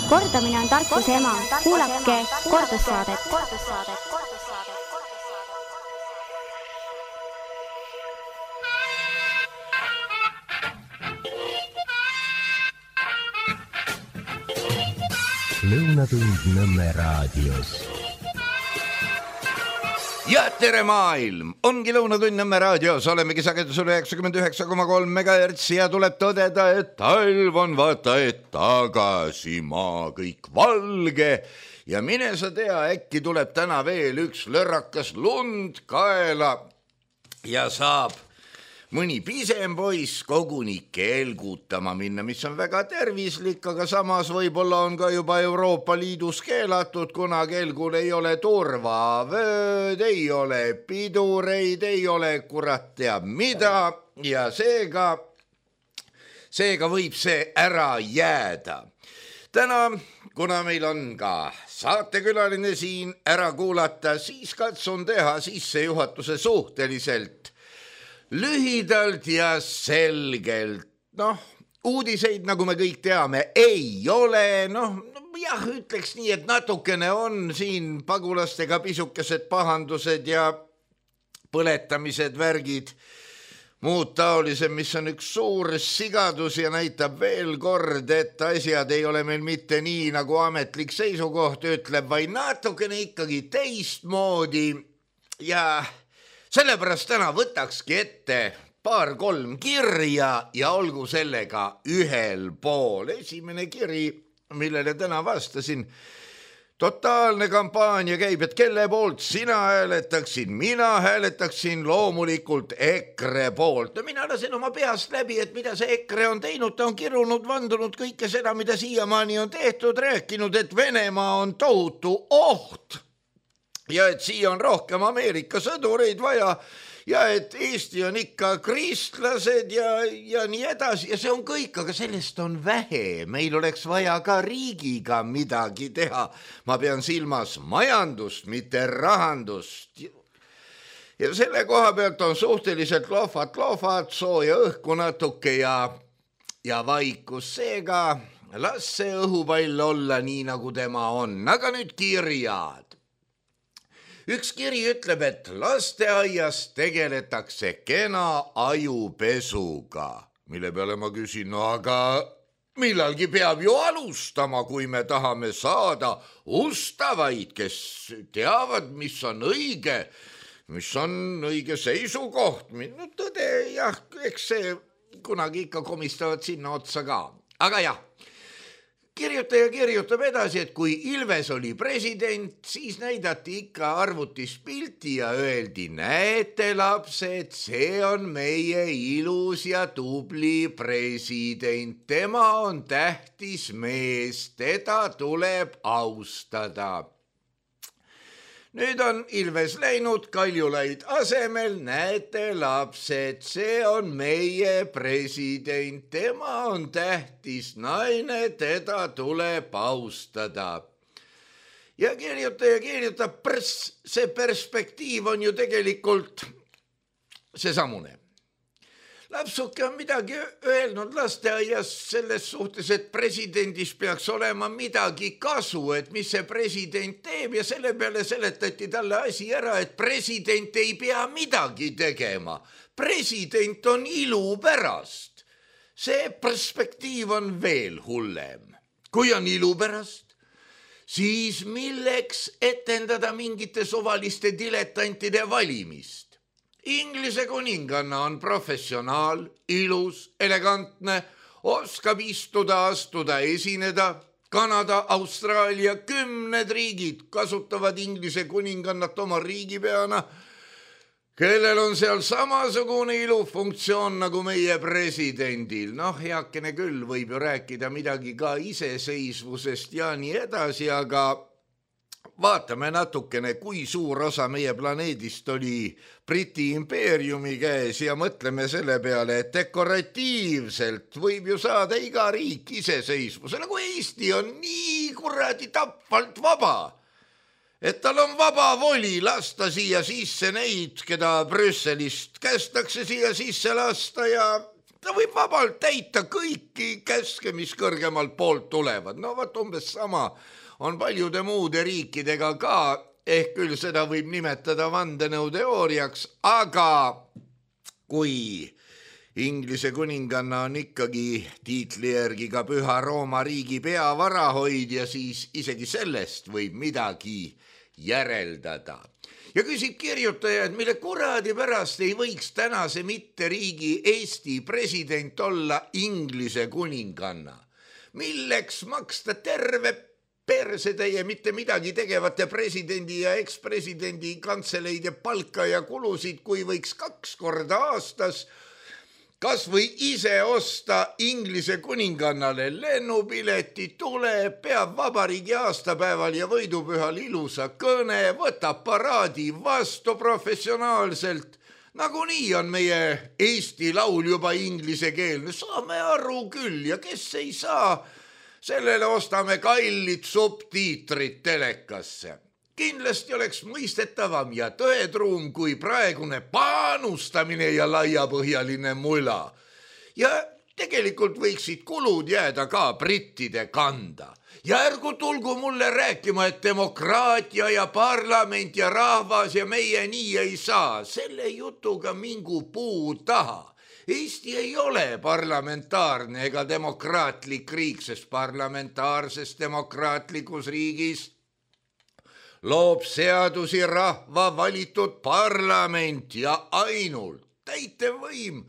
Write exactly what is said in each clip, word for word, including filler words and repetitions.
Kordamine on tarkuse ema. Kuulake kordussaadet. Lõunatund Nõmme raadios. Ja tere maailm! Ongi Lõunatund Nõmme raadios, olemegi sagedusel üheksakümmend üheksa koma kolm megahertsi ja tuleb tõdeda, et talv on vaata et tagasi, maa kõik valge ja mine sa tea, äkki tuleb täna veel üks lörrakas lund kaela ja saab mõni pisem poiss koguni keelgutama minna, mis on väga tervislik, aga samas võib-olla on ka juba Euroopa Liidus keelatud, kuna kelgul ei ole turvavööd, ei ole pidureid, ei ole kurat teab mida ja seega, seega võib see ära jääda. Täna, kuna meil on ka saatekülaline siin ära kuulata, siis katsun teha sissejuhatuse suhteliselt lühidalt ja selgelt. Noh, uudiseid, nagu me kõik teame, ei ole. Noh, jah, ütleks nii, et natukene on siin pagulastega pisukesed pahandused ja põletamised, värgid, muud taolised, mis on üks suur sigadus ja näitab veel kord, et asjad ei ole meil mitte nii, nagu ametlik seisukoht ütleb, vaid natukene ikkagi teistmoodi ja sellepärast täna võtakski ette paar-kolm kirja ja olgu sellega ühel pool. Esimene kiri, millele täna vastasin, totaalne kampaania käib, et kelle poolt sina hääletaksid, mina hääletaksin loomulikult EKRE poolt. Mina lasen oma peast läbi, et mida see EKRE on teinud, ta on kirunud, vandunud kõike seda, mida siiamaani on tehtud, rääkinud, et Venemaa on tohutu oht. Ja et siia on rohkem Ameerika sõdureid vaja ja et Eesti on ikka kristlased ja, ja nii edasi ja see on kõik, aga sellest on vähe. Meil oleks vaja ka riigiga midagi teha. Ma pean silmas majandust, mitte rahandust. Ja selle koha pealt on suhteliselt lohvat lohvat, sooja õhku natuke ja, ja vaikus. Seega las see õhupall olla nii, nagu tema on. Aga nüüd kirjad. Üks kiri ütleb, et lasteaias tegeletakse kena ajupesuga, mille peale ma küsin, no aga millalgi peab ju alustama, kui me tahame saada ustavaid, kes teavad, mis on õige, mis on õige seisukoht. No tõde, jah, eks see kunagi ikka komistavad sinna otsa ka. Aga jah, kirjutaja kirjutab edasi, et kui Ilves oli president, siis näidati ikka arvutis pilti ja öeldi, näete lapsed, see on meie ilus ja tubli president. Tema on tähtis mees, teda tuleb austada. Nüüd on Ilves läinud Kaljulaid asemel, näete lapsed, see on meie president, tema on tähtis naine, teda tuleb austada. Ja kirjutaja kirjutab, pers, see perspektiiv on ju tegelikult see samune. Lapsuke on midagi öelnud lasteaias selles suhtes, et presidendis peaks olema midagi kasu, et mis see president teeb ja selle peale seletati talle asi ära, et president ei pea midagi tegema. President on ilu pärast. See perspektiiv on veel hullem. Kui on ilu pärast, siis milleks etendada mingite suvaliste diletantide valimist? Inglise kuninganna on professionaal, ilus, elegantne, oskab istuda, astuda, esineda. Kanada, Austraalia, kümned riigid kasutavad Inglise kuningannat oma riigipeana, kellel on seal samasugune ilufunktsioon nagu meie presidendil. Noh, heakene küll, võib ju rääkida midagi ka iseseisvusest ja nii edasi, aga vaatame natukene, kui suur osa meie planeedist oli Briti impeeriumi käes ja mõtleme selle peale, et dekoratiivselt võib ju saada iga riik iseseisvusele, kui Eesti on nii kuradi tapvalt vaba, et tal on vaba voli lasta siia sisse neid, keda Brüsselist kästakse siia sisse lasta ja ta võib vabalt täita kõiki käske, mis kõrgemalt poolt tulevad. No võt umbes sama on paljude muude riikidega ka, ehk küll seda võib nimetada vandenõuteooriaks, aga kui Inglise kuninganna on ikkagi tiitli järgi ka Püha Rooma riigi peavarahoidja, siis isegi sellest võib midagi järeldada. Ja küsib kirjutaja, et mille kuradi pärast ei võiks tänase mitteriigi Eesti president olla Inglise kuninganna. Milleks maksta terve persetäie mitte midagi tegevate presidendi ja ekspresidendi kantseleide palka ja kulusid, kui võiks kaks korda aastas kas või ise osta Inglise kuningannale lennupileti, tuleb, peab vabariigi aastapäeval ja võidupühal ilusa kõne, võtab paraadi vastu professionaalselt. Nagunii on meie Eesti laul juba inglisekeelne, saame aru küll ja kes ei saa, sellele ostame kallid subtiitrid telekasse. Kindlasti oleks mõistetavam ja tõetruum kui praegune panustamine ja laiapõhjaline mula. Ja tegelikult võiksid kulud jääda ka brittide kanda. Ja ärgu tulgu mulle rääkima, et demokraatia ja parlament ja rahvas ja meie nii ei saa. Selle jutuga mingu puu taha. Eesti ei ole parlamentaarne ega demokraatlik riik, sest parlamentaarses demokraatlikus riigis loob seadusi rahva valitud parlament ja ainult täitevvõim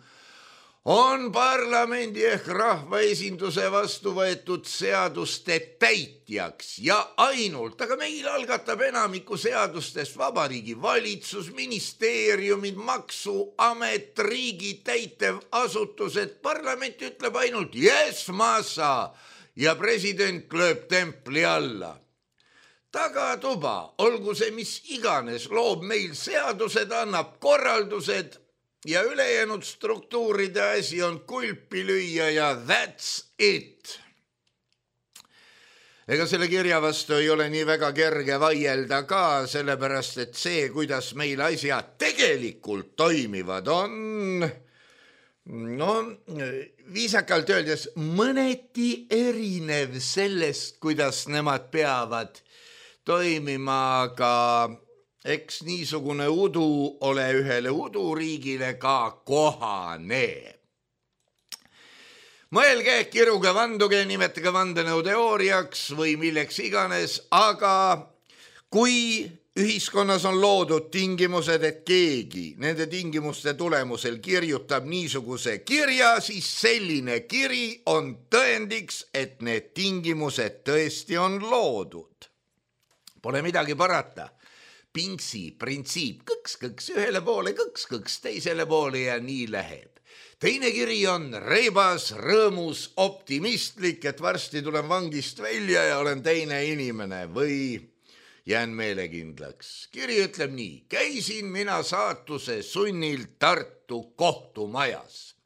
on parlamendi ehk rahvaesinduse vastu võetud seaduste täitjaks ja ainult, aga meil algatab enamiku seadustest vabariigi valitsus, ministeeriumid, maksuamet, riigi täitevasutused, parlament ütleb ainult yes, ma saa ja president lööb templi alla. Tagatuba, olgu see mis iganes, loob meil seadused, annab korraldused ja ülejäänud struktuuride asi on kulpi lüüa ja that's it. Ega selle kirja vastu ei ole nii väga kerge vaielda ka, sellepärast et see, kuidas meil asjad tegelikult toimivad, on no viisakalt öeldes mõneti erinev sellest, kuidas nemad peavad toimima, aga eks niisugune udu ole ühele uduriigile ka kohane. Mõelge, kiruge, vanduge, nimetage vandenõuteooriaks või milleks iganes, aga kui ühiskonnas on loodud tingimused, et keegi nende tingimuste tulemusel kirjutab niisuguse kirja, siis selline kiri on tõendiks, et need tingimused tõesti on loodud. Pole midagi parata. Pingsi printsiip, kõks-kõks ühele poole, kõks-kõks teisele poole ja nii läheb. Teine kiri on reibas, rõõmus, optimistlik, et varsti tulen vangist välja ja olen teine inimene või jään meelekindlaks. Kiri ütleb nii, käisin mina saatuse sunnil Tartu kohtumajas.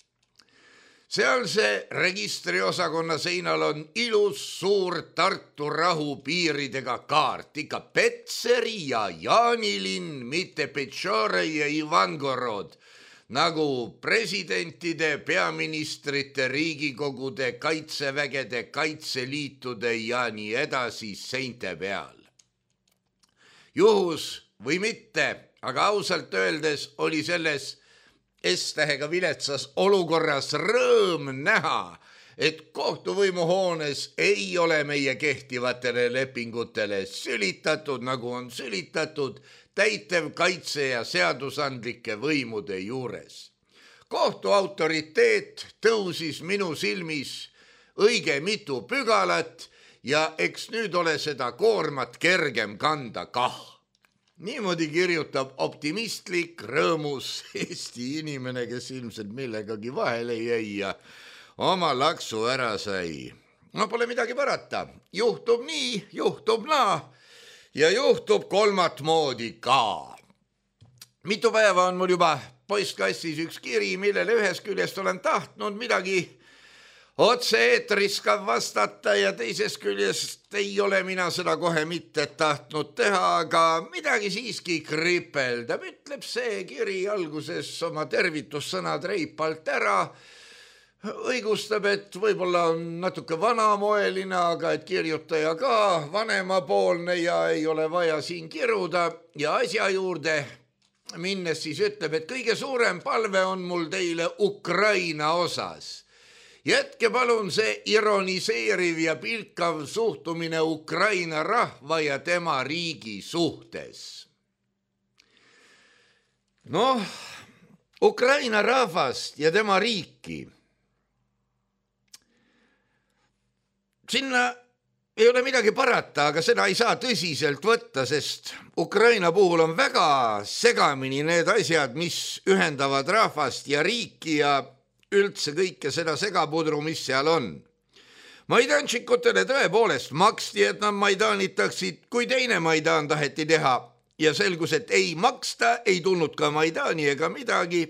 Seal see registriosakonna seinal on ilus suur Tartu rahu piiridega kaart, ikka Petseri ja Jaanilinn, mitte Petšore ja Ivangorod, nagu presidentide, peaministrite, riigikogude, kaitsevägede, kaitseliitude ja nii edasi seinte peal. Juhus või mitte, aga ausalt öeldes oli selles S-tähega viletsas olukorras rõõm näha, et kohtuvõimuhoones ei ole meie kehtivatele lepingutele sülitatud, nagu on sülitatud täitev kaitse ja seadusandlike võimude juures. Kohtu autoriteet tõusis minu silmis õige mitu pügalat ja eks nüüd ole seda koormat kergem kanda kah. Niimoodi kirjutab optimistlik, rõõmus Eesti inimene, kes ilmselt millegagi vahele jäi ja oma laksu ära sai. No pole midagi parata. Juhtub nii, juhtub naa ja juhtub kolmat moodi ka. Mitu päeva on mul juba postkastis üks kiri, millele ühest küljest olen tahtnud midagi otse-eetris ka vastata ja teisest küljest ei ole mina seda kohe mitte tahtnud teha, aga midagi siiski kripeldab. Ütleb see kiri alguses oma tervitussõnad reipalt ära. õigustab, et võib-olla on natuke vanamoeline, aga et kirjutaja ka vanemapoolne ja ei ole vaja siin kiruda ja asja juurde minnes siis ütleb, et kõige suurem palve on mul teile Ukraina osas. Jätke palun see ironiseeriv ja pilkav suhtumine Ukraina rahva ja tema riigi suhtes. Noh, Ukraina rahvast ja tema riiki. Sinna ei ole midagi parata, aga seda ei saa tõsiselt võtta, sest Ukraina puhul on väga segamini need asjad, mis ühendavad rahvast ja riiki ja üldse kõike seda segapudru, mis seal on. Maidanšikutele tõepoolest maksti, et nad maidanitaksid, kui teine Maidan taheti teha ja selgus, et ei maksta, ei tulnud ka Maidani ega midagi.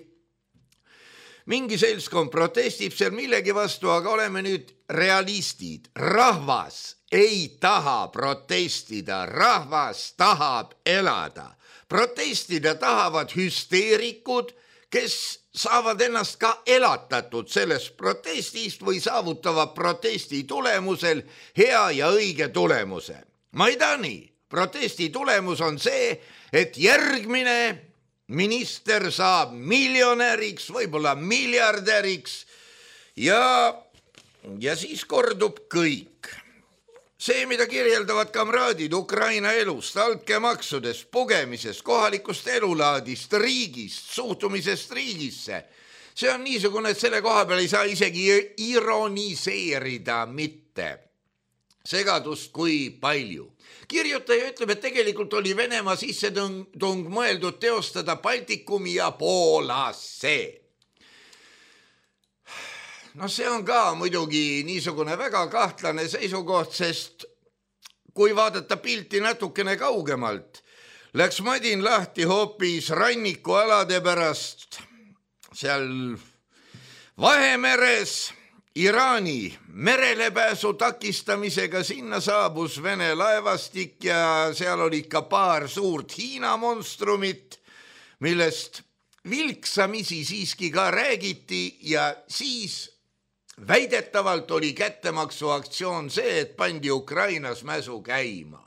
Mingi seltskond protestib seal millegi vastu, aga oleme nüüd realistid. Rahvas ei taha protestida, rahvas tahab elada. Protestida tahavad hüsteerikud, kes saavad ennast ka elatatud sellest protestist või saavutavad protesti tulemusel hea ja õige tulemuse. Maidani protesti tulemus on see, et järgmine minister saab miljonäriks, võib-olla miljardäriks ja, ja siis kordub kõik. See, mida kirjeldavad kamraadid Ukraina elust, altkäemaksudest, pugemisest, kohalikust elulaadist, riigist, suhtumisest riigisse, see on niisugune, et selle koha peal ei saa isegi ironiseerida mitte. Segadust kui palju. Kirjutaja ütleb, et tegelikult oli Venemaa sissetung mõeldud teostada Baltikumi ja Poolasse. No see on ka muidugi niisugune väga kahtlane seisukoht, sest kui vaadata pilti natukene kaugemalt, läks madin lahti hoopis rannikualade pärast seal Vahemeres. Iraani merelepääsu takistamisega sinna saabus Vene laevastik ja seal oli ka paar suurt Hiina monstrumit, millest vilksamisi siiski ka räägiti ja siis väidetavalt oli kättemaksuaktsioon see, et pandi Ukrainas mäsu käima.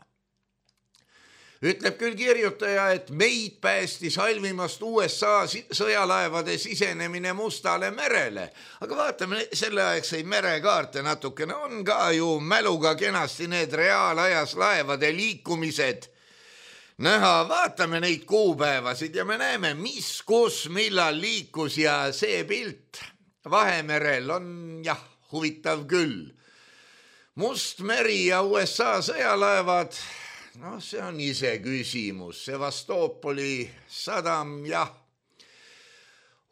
Ütleb küll kirjutaja, et meid päästis halvimast U S A sõjalaevade sisenemine Mustale merele. Aga vaatame selleaegseid merekaarte natukene. On ka ju mäluga kenasti need reaalajas laevade liikumised näha. Vaatame neid kuupäevasid ja me näeme, mis, kus, millal liikus ja see pilt Vahemerel on jah, huvitav küll. Must meri ja U S A sõjalaevad. No see on ise küsimus, Sevastopoli sadam, jah.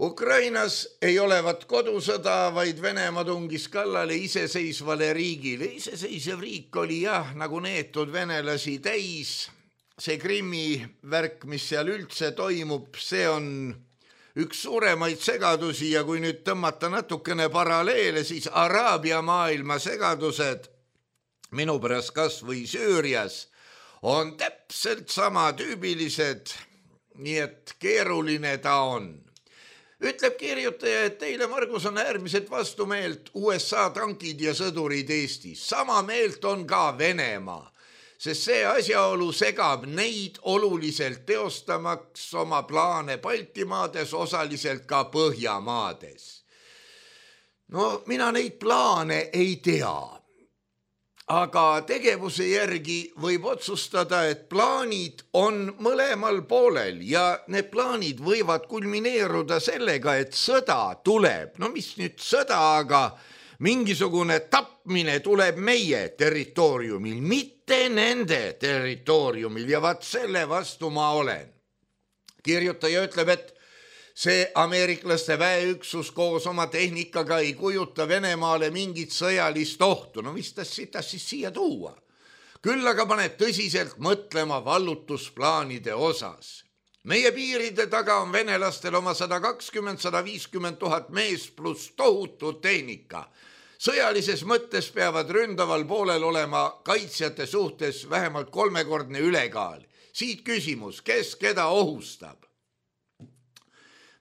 Ukrainas ei olevat kodusõda, vaid Venemaa tungis kallale iseseisvale riigile. Iseseisev riik oli jah, nagu neetud venelasi täis. See Krimmi värk, mis seal üldse toimub, see on üks suuremaid segadusi ja kui nüüd tõmmata natukene paralleele, siis Araabia maailma segadused, minu pärast kas või Süürias, on täpselt sama tüübilised, nii et keeruline ta on. Ütleb kirjutaja, et teile, Margus, on äärmiselt vastumeelt U S A tankid ja sõdurid Eestis. Sama meelt on ka Venemaa, sest see asjaolu segab neid oluliselt teostamaks oma plaane Baltimaades, osaliselt ka Põhjamaades. No mina neid plaane ei tea. Aga tegevuse järgi võib otsustada, et plaanid on mõlemal poolel ja need plaanid võivad kulmineeruda sellega, et sõda tuleb. No mis nüüd sõda, aga mingisugune tapmine tuleb meie territooriumil, mitte nende territooriumil ja vaat selle vastu ma olen. Kirjutaja ütleb, et see ameeriklaste väeüksus koos oma tehnikaga ei kujuta Venemaale mingit sõjalist ohtu. No mis ta siis siia tuua? Küll aga paneb tõsiselt mõtlema vallutusplaanide osas. Meie piiride taga on venelastel oma sada kakskümmend, sada viiskümmend tuhat mees pluss tohutu tehnika. Sõjalises mõttes peavad ründaval poolel olema kaitsjate suhtes vähemalt kolmekordne ülekaal. Siit küsimus, kes keda ohustab?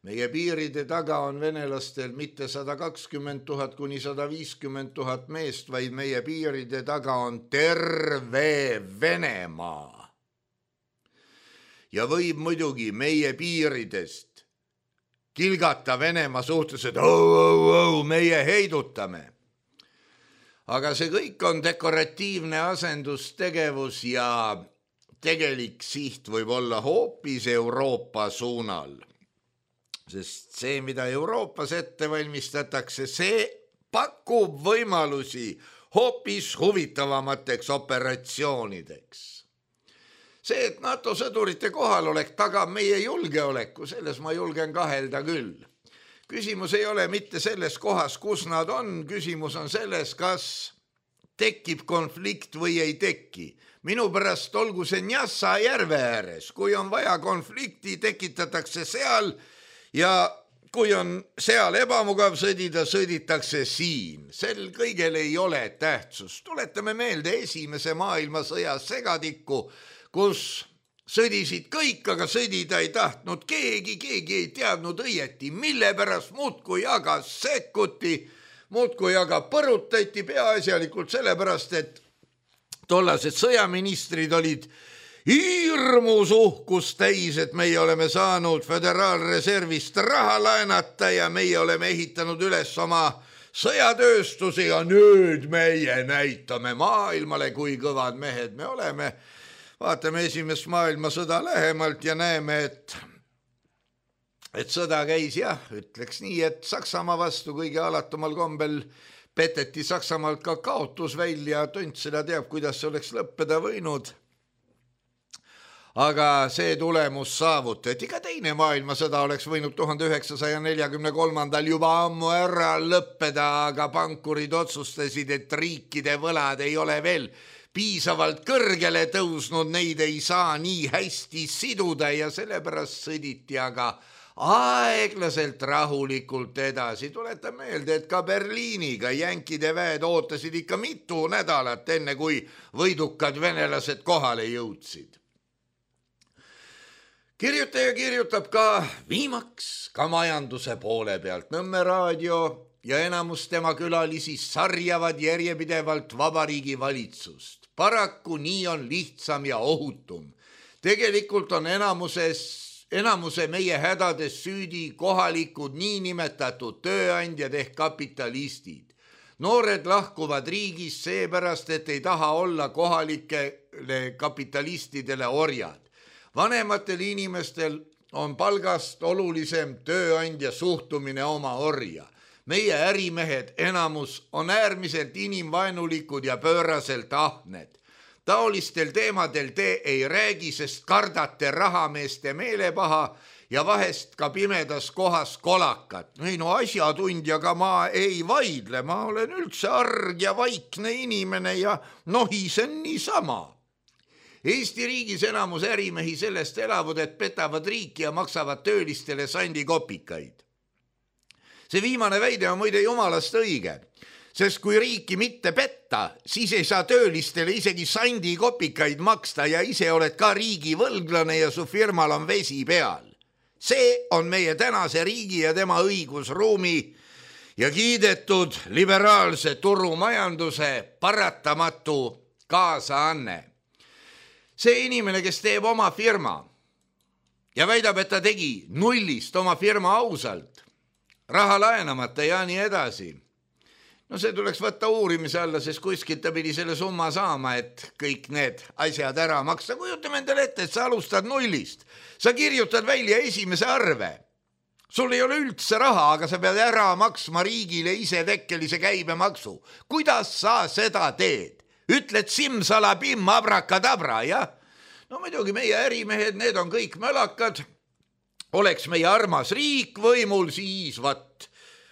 meie piiride taga on venelastel mitte sada kakskümmend tuhat kuni sada viiskümmend tuhat meest, vaid meie piiride taga on terve Venemaa. Ja võib muidugi meie piiridest kilgata Venemaa suhtes, et oh, oh, oh, meie heidutame. Aga see kõik on dekoratiivne asendustegevus ja tegelik siht võib olla hoopis Euroopa suunal. Sest see, mida Euroopas ette valmistatakse, see pakub võimalusi hoopis huvitavamateks operatsioonideks. See, et NATO sõdurite kohalolek tagab meie julgeoleku, selles ma julgen kahelda küll. Küsimus ei ole mitte selles kohas, kus nad on, küsimus on selles, kas tekib konflikt või ei teki. Minu pärast olgu see Njassa järve ääres, kui on vaja konflikti, tekitatakse seal ja kui on seal ebamugav sõdida, sõditakse siin. Sel kõigel ei ole tähtsust. Tuletame meelde esimese maailmasõja segadikku, kus sõdisid kõik, aga sõdida ei tahtnud keegi, keegi ei teadnud õieti, mille pärast muudkui aga sekkuti, muudkui aga põrutati peaasjalikult sellepärast, et tollased sõjaministrid olid hirmus uhkust täis, et meie oleme saanud föderaalreservist raha laenata ja meie oleme ehitanud üles oma sõjatööstusi ja nüüd meie näitame maailmale, kui kõvad mehed me oleme. Vaatame esimest maailmasõda lähemalt ja näeme, et, et sõda käis jah, ütleks nii, et Saksamaa vastu kõige alatumal kombel peteti Saksamaalt ka kaotus välja, tont seda teab, kuidas see oleks lõppeda võinud. Aga see tulemus saavutati, ka teine maailmasõda oleks võinud tuhande üheksasaja neljakümne kolmandal juba ammu ära lõppeda, aga pankurid otsustasid, et riikide võlad ei ole veel piisavalt kõrgele tõusnud, neid ei saa nii hästi siduda ja sellepärast sõditi aga aeglaselt rahulikult edasi. Tuletan meelde, et ka Berliiniga jänkide väed ootasid ikka mitu nädalat enne, kui võidukad venelased kohale jõudsid. Kirjutaja kirjutab ka viimaks ka majanduse poole pealt. Nõmme raadio ja enamus tema külalisi sarjavad järjepidevalt vabariigi valitsust. Paraku nii on lihtsam ja ohutum. Tegelikult on enamuses, enamuse meie hädades süüdi kohalikud niinimetatud tööandjad ehk kapitalistid. Noored lahkuvad riigis seepärast, et ei taha olla kohalikele kapitalistidele orjad. Vanematel inimestel on palgast olulisem tööandja suhtumine oma orja. Meie ärimehed enamus on äärmiselt inimvaenulikud ja pööraselt ahned. Taolistel teemadel te ei räägi, sest kardate rahameeste meelepaha ja vahest ka pimedas kohas kolakat. Ei no asjatundjaga ma ei vaidle, ma olen üldse arg ja vaikne inimene ja nohisen niisama. Eesti riigis enamus ärimehi sellest elavad, et petavad riiki ja maksavad töölistele sandikopikaid. See viimane väide on muide jumalast õige, sest kui riiki mitte petta, siis ei saa töölistele isegi sandikopikaid maksta ja ise oled ka riigi võlglane ja su firmal on vesi peal. See on meie tänase riigi ja tema õigusruumi ja kiidetud liberaalse turumajanduse paratamatu kaasaanne. See inimene, kes teeb oma firma ja väidab, et ta tegi nullist oma firma ausalt, raha laenamata ja nii edasi. No see tuleks võtta uurimise alla, sest kuskilt ta pidi selle summa saama, et kõik need asjad ära maksta. Kujutame endale ette, et sa alustad nullist. Sa kirjutad välja esimese arve. Sul ei ole üldse raha, aga sa pead ära maksma riigile ise tekkelise käibemaksu. Kuidas sa seda teed? Ütled simsalabim abrakadabra, jah? No muidugi meie ärimehed, need on kõik mölakad. Oleks meie armas riik võimul, siis vat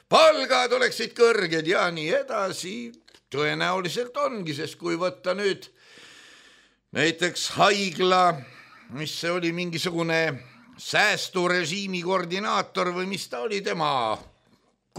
palgad oleksid kõrged ja nii edasi. Tõenäoliselt ongi, sest kui võtta nüüd näiteks haigla, mis see oli mingisugune säästurežiimi koordinaator või mis ta oli, tema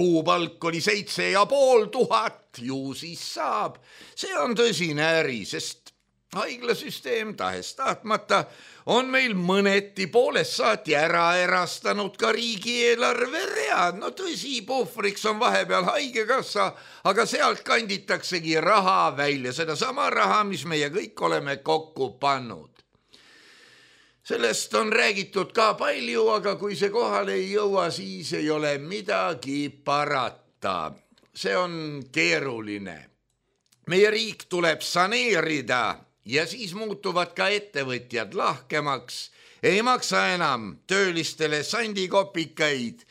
kuupalk oli seitse ja pool tuhat, ju siis saab. See on tõsine äri, sest haiglasüsteem tahes tahtmata on meil mõneti poolest saati ära erastanud ka riigieelarve read. No tõsi, puhvriks on vahepeal haigekassa, aga sealt kanditaksegi raha välja, seda sama raha, mis meie kõik oleme kokku pannud. Sellest on räägitud ka palju, aga kui see kohale ei jõua, siis ei ole midagi parata. See on keeruline. Meie riik tuleb saneerida ja siis muutuvad ka ettevõtjad lahkemaks. Ei maksa enam töölistele sandikopikaid.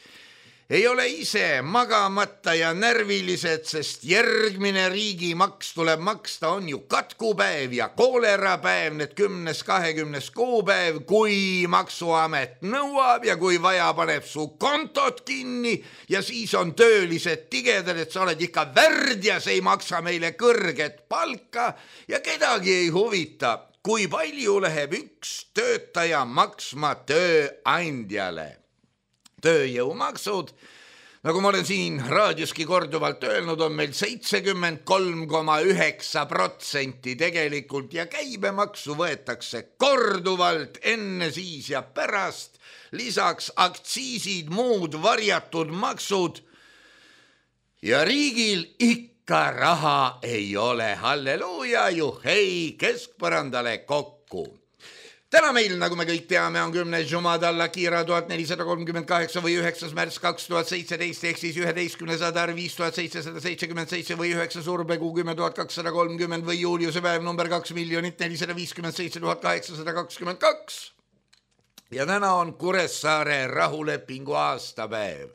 Ei ole ise magamata ja närvilised, sest järgmine riigimaks tuleb maksta, on ju katkupäev ja koolerapäev, need kümnes, kahekümnes kuupäev, kui maksuamet nõuab ja kui vaja paneb su kontot kinni ja siis on töölised tigedad, et sa oled ikka värdjas, ei maksa meile kõrget palka ja kedagi ei huvita, kui palju läheb üks töötaja maksma tööandjale. Tööjõumaksud, nagu ma olen siin raadioski korduvalt öelnud, on meil seitsekümmend kolm koma üheksa protsenti tegelikult ja käibemaksu võetakse korduvalt enne, siis ja pärast, lisaks aktsiisid, muud varjatud maksud ja riigil ikka raha ei ole. Halleluuja, juhei, keskpõrandale kokku. Täna meil, nagu me kõik teame, on kümnes Jumadal Akira tuhat nelisada kolmkümmend kaheksa või üheksas märts kaks tuhat seitseteist ehk siis üheteistkümnes Adar viis tuhat seitsesada seitsekümmend seitse või üheksa Suurpegu kümme tuhat kakssada kolmkümmend või Juliuse päev number kaks miljonit nelisada viiskümmend seitse tuhat kaheksasada kakskümmend kaks. Ja täna on Kuressaare rahulepingu aastapäev.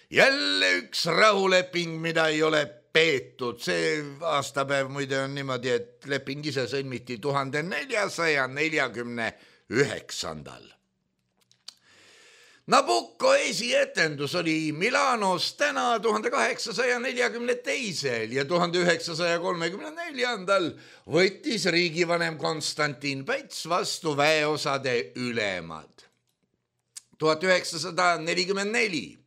Jälle üks rahuleping, mida ei ole peetud. See aastapäev muide on niimoodi, et leping ise sõlmiti tuhande neljasaja neljakümne üheksandal. Nabucco esietendus oli Milanos täna tuhande kaheksasaja neljakümne teisel ja tuhande üheksasaja kolmekümne neljandal võttis riigivanem Konstantin Päts vastu väeosade ülemad. tuhat üheksasada nelikümmend neli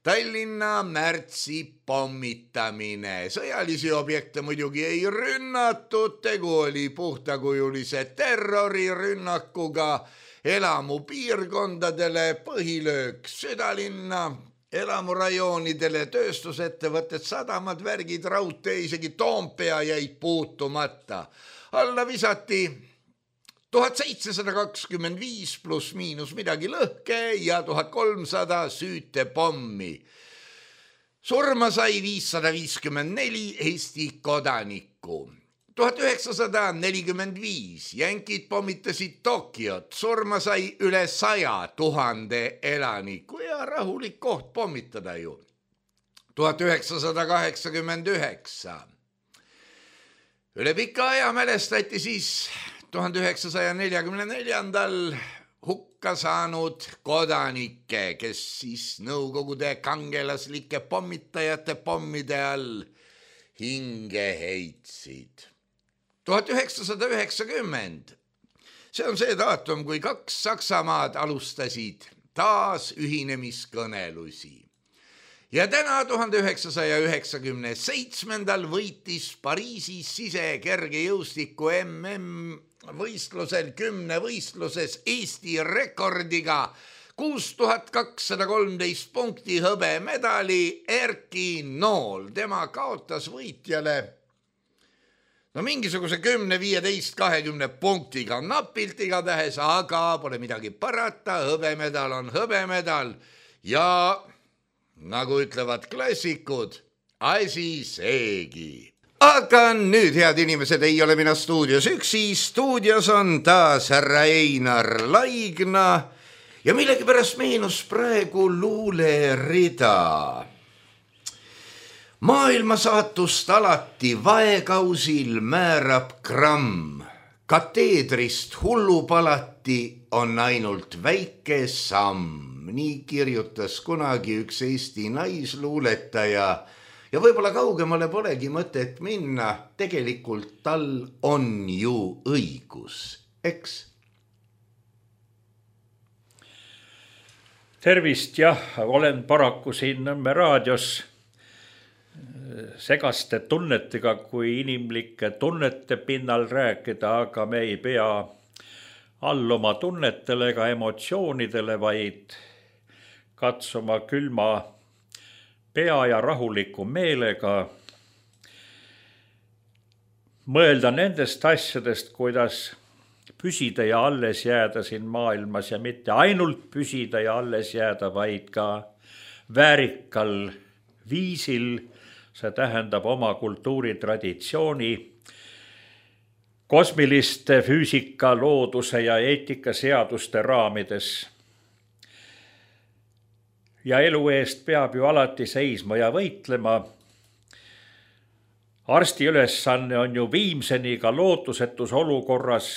Tallinna märtsi pommitamine. Sõjalisi objekte muidugi ei rünnatud, tegu oli puhtakujulise terrorirünnakuga elamupiirkondadele, põhilöök südalinna, elamurajoonidele, tööstusettevõtted, sadamad, värgid, raudtee, isegi Toompea jäid puutumata. Alla visati tuhat seitsesada kakskümmend viis pluss miinus midagi lõhke ja tuhat kolmsada süütepommi. Surma sai viissada viiskümmend neli Eesti kodanikku. tuhat üheksasada nelikümmend viis jänkid pommitasid Tokiot, surma sai üle saja tuhande elaniku ja rahulik koht pommitada ju. tuhat üheksasada kaheksakümmend üheksa. Üle pika aja mälestati siis tuhande üheksasaja neljakümne neljandal hukka saanud kodanikke, kes siis Nõukogude kangelaslike pommitajate pommide all hinge heitsid. tuhat üheksasada üheksakümmend. See on see daatum, kui kaks Saksamaad alustasid taas ühinemiskõnelusi. Ja täna tuhande üheksasaja üheksakümne seitsmendal võitis Pariisis sisekergejõustiku M M võistlusel kümne võistluses Eesti rekordiga kuus tuhat kakssada kolmteist punkti hõbemedali Erki Nool. Tema kaotas võitjale no mingisuguse kümne, viieteist, kahekümne punktiga napilt igatahes, aga pole midagi parata, hõbemedal on hõbemedal ja nagu ütlevad klassikud, asi seegi. Aga nüüd, head inimesed, ei ole mina stuudios üksi, stuudios on taas härra Einar Laigna ja millegipärast meenus praegu luulerida. Maailma saatust alati vaekausil määrab gramm, kateedrist hullupalati on ainult väike samm. Nii kirjutas kunagi üks Eesti naisluuletaja ja võib-olla kaugemale polegi mõtet minna, tegelikult tal on ju õigus, eks? Tervist, jah, olen paraku siin Nõmme raadios segaste tunnetega kui inimlike tunnete pinnal rääkida, aga me ei pea alluma tunnetele ega emotsioonidele, vaid katsuma külma pea ja rahuliku meelega mõelda nendest asjadest, kuidas püsida ja alles jääda siin maailmas ja mitte ainult püsida ja alles jääda, vaid ka väärikal viisil, see tähendab oma kultuuritraditsiooni, kosmiliste füüsika, looduse ja eetika seaduste raamides. Ja elu eest peab ju alati seisma ja võitlema. Arsti ülesanne on ju viimseni ka lootusetus olukorras,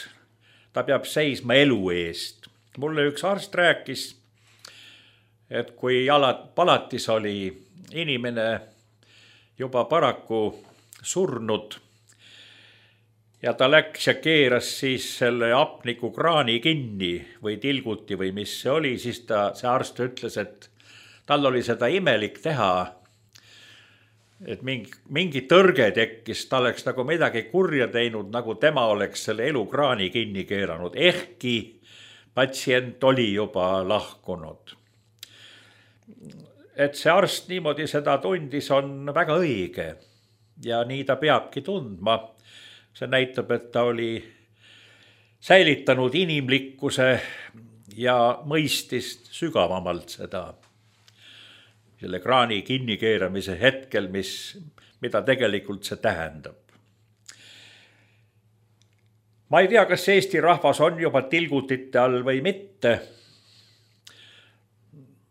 ta peab seisma elu eest. Mulle üks arst rääkis, et kui palatis oli inimene juba paraku surnud ja ta läks ja keeras siis selle apniku kraani kinni või tilguti või mis see oli, siis ta, see arst ütles, et tal oli seda imelik teha, et mingi, mingi tõrge tekkis, ta oleks nagu midagi kurja teinud, nagu tema oleks selle elukraani kinni keeranud, ehkki patsient oli juba lahkunud. Et see arst niimoodi seda tundis, on väga õige ja nii ta peabki tundma. See näitab, et ta oli säilitanud inimlikkuse ja mõistis sügavamalt seda selle kraani kinnikeeramise hetkel, mis, mida tegelikult see tähendab. Ma ei tea, kas Eesti rahvas on juba tilgutite all või mitte.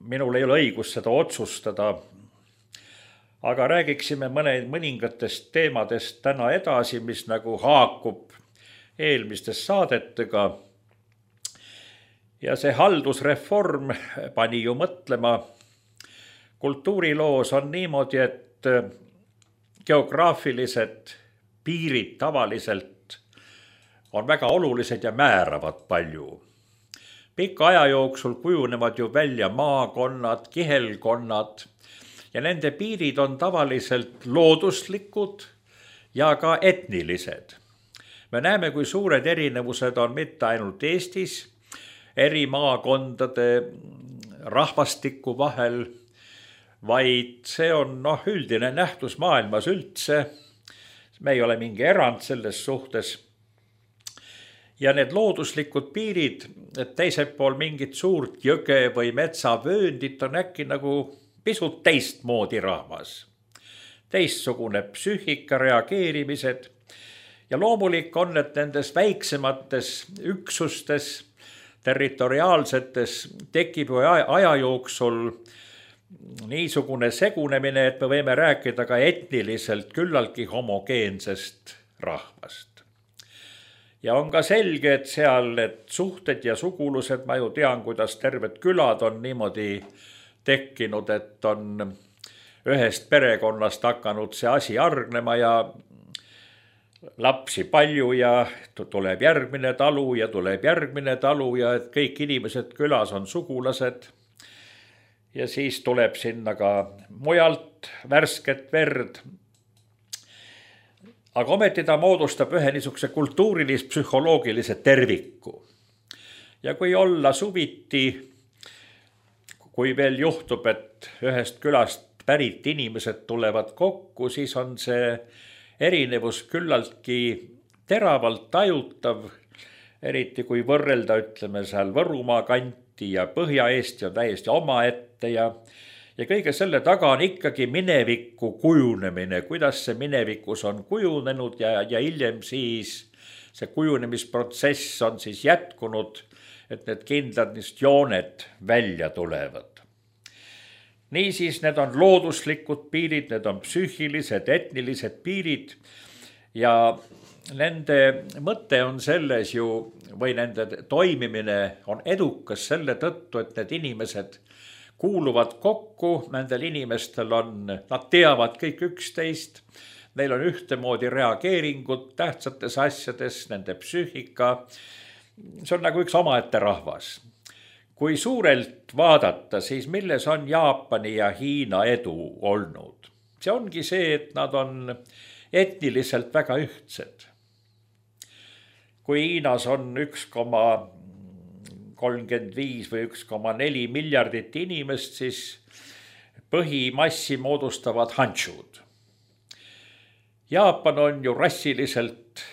Minul ei ole õigus seda otsustada, aga räägiksime mõne, mõningatest teemadest täna edasi, mis nagu haakub eelmistest saadetega. Ja see haldusreform pani ju mõtlema. Kultuuriloos on niimoodi, et geograafilised piirid tavaliselt on väga olulised ja määravad palju. Pika aja jooksul kujunevad ju välja maakonnad, kihelkonnad ja nende piirid on tavaliselt looduslikud ja ka etnilised. Me näeme, kui suured erinevused on mitte ainult Eestis, eri maakondade rahvastiku vahel, vaid see on noh, üldine nähtus maailmas üldse. Me ei ole mingi erand selles suhtes. Ja need looduslikud piirid, et teiselt pool mingit suurt jõge või metsavööndit on äkki nagu pisut teistmoodi rahvas. Teistsugune psüühika, reageerimised ja loomulik on, et nendes väiksemates üksustes, territoriaalsetes tekib aja jooksul niisugune segunemine, et me võime rääkida ka etniliselt küllaltki homogeensest rahvast. Ja on ka selge, et seal need suhted ja sugulused, ma ju tean, kuidas terved külad on niimoodi tekkinud, et on ühest perekonnast hakanud see asi argnema ja lapsi palju ja tuleb järgmine talu ja tuleb järgmine talu ja et kõik inimesed külas on sugulased. Ja siis tuleb sinna ka mujalt värsket verd. Aga ometi ta moodustab ühe niisuguse kultuurilis-psühholoogilise terviku. Ja kui olla suviti, kui veel juhtub, et ühest külast pärit inimesed tulevad kokku, siis on see erinevus küllaltki teravalt tajutav, eriti kui võrrelda, ütleme seal Võrumaa kanti ja Põhja-Eesti on täiesti omaette ja Ja kõige selle taga on ikkagi mineviku kujunemine, kuidas see minevikus on kujunenud ja, ja hiljem siis see kujunemisprotsess on siis jätkunud, et need kindlad niist jooned välja tulevad. Niisiis need on looduslikud piirid, need on psüühilised, etnilised piirid ja nende mõte on selles ju, või nende toimimine on edukas selle tõttu, et need inimesed kuuluvad kokku, nendel inimestel on, nad teavad kõik üksteist, neil on ühtemoodi reageeringud tähtsates asjades, nende psüühika, see on nagu üks omaette rahvas. Kui suurelt vaadata, siis milles on Jaapani ja Hiina edu olnud? see ongi see, et nad on etniliselt väga ühtsed. Kui Hiinas on üks koma kolmkümmend viis või üks koma neli miljardit inimest, siis põhimassi moodustavad hanšud. Jaapan on ju rassiliselt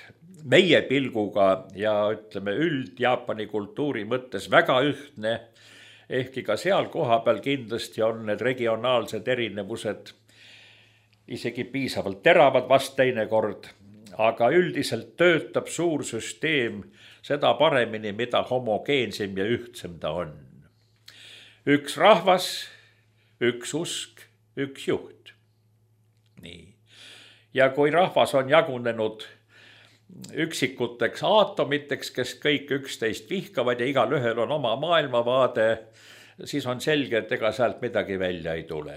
meie pilguga ja ütleme üld Jaapani kultuuri mõttes väga ühtne, ehkki ka seal koha peal kindlasti on need regionaalsed erinevused isegi piisavalt teravad vast teinekord, aga üldiselt töötab suur süsteem seda paremini, mida homogeensem ja ühtsem ta on. Üks rahvas, üks usk, üks juht. Nii. Ja kui rahvas on jagunenud üksikuteks aatomiteks, kes kõik üksteist vihkavad ja igal ühel on oma maailmavaade, siis on selge, et ega sealt midagi välja ei tule.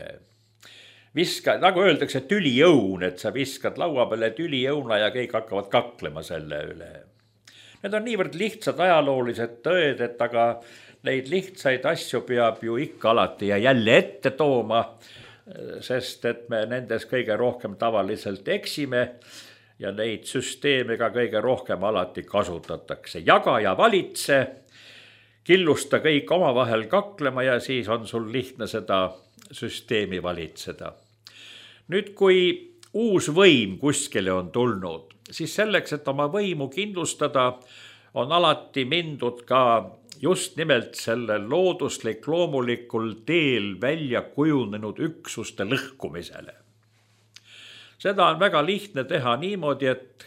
Viska, nagu öeldakse, tülijõun, et sa viskad laua peale tülijõuna ja kõik hakkavad kaklema selle üle. Need on niivõrd lihtsad ajaloolised tõed, et aga neid lihtsaid asju peab ju ikka alati ja jälle ette tooma, sest et me nendes kõige rohkem tavaliselt eksime ja neid süsteeme ka kõige rohkem alati kasutatakse. Jaga ja valitse, killusta kõik omavahel kaklema ja siis on sul lihtne seda süsteemi valitseda. Nüüd, kui uus võim kuskile on tulnud, siis selleks, et oma võimu kindlustada, on alati mindud ka just nimelt selle looduslik loomulikul teel välja kujunenud üksuste lõhkumisele. Seda on väga lihtne teha niimoodi, et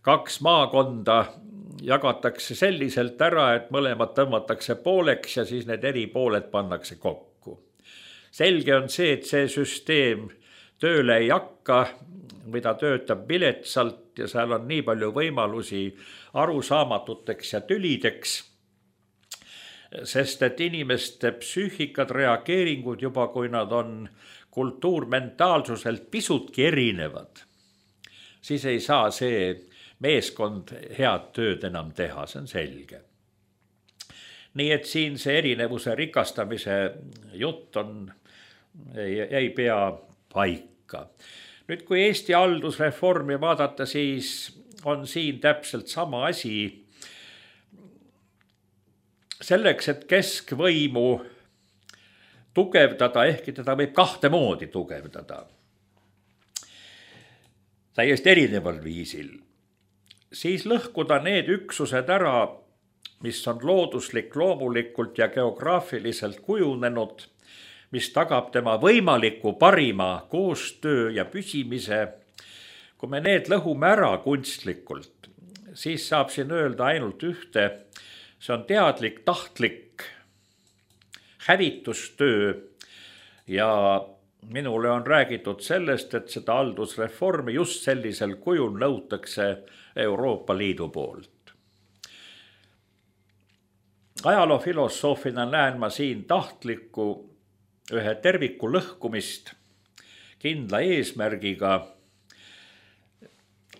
kaks maakonda jagatakse selliselt ära, et mõlemad tõmmatakse pooleks ja siis need eri pooled pannakse kokku. Selge on see, et see süsteem tööle ei hakka, mida töötab viletsalt ja seal on nii palju võimalusi arusaamatuteks ja tülideks, sest et inimeste psüühikad, reageeringud juba, kui nad on kultuurmentaalsuselt pisutki erinevad, siis ei saa see meeskond head tööd enam teha, see on selge. Nii et siin see erinevuse rikastamise jutt on, ei, ei pea paika. Nüüd, kui Eesti haldusreformi vaadata, siis on siin täpselt sama asi. Selleks, et keskvõimu tugevdada, ehkki teda võib kahte moodi tugevdada. Täiesti erineval viisil. Siis lõhkuda need üksused ära, mis on looduslik, loomulikult ja geograafiliselt kujunenud, mis tagab tema võimaliku parima koostöö ja püsimise. Kui me need lõhume ära kunstlikult, siis saab siin öelda ainult ühte, see on teadlik, tahtlik hävitustöö ja minule on räägitud sellest, et seda haldusreformi just sellisel kujul nõutakse Euroopa Liidu poolt. Ajaloofilosoofina näen ma siin tahtlikku ühe terviku lõhkumist kindla eesmärgiga.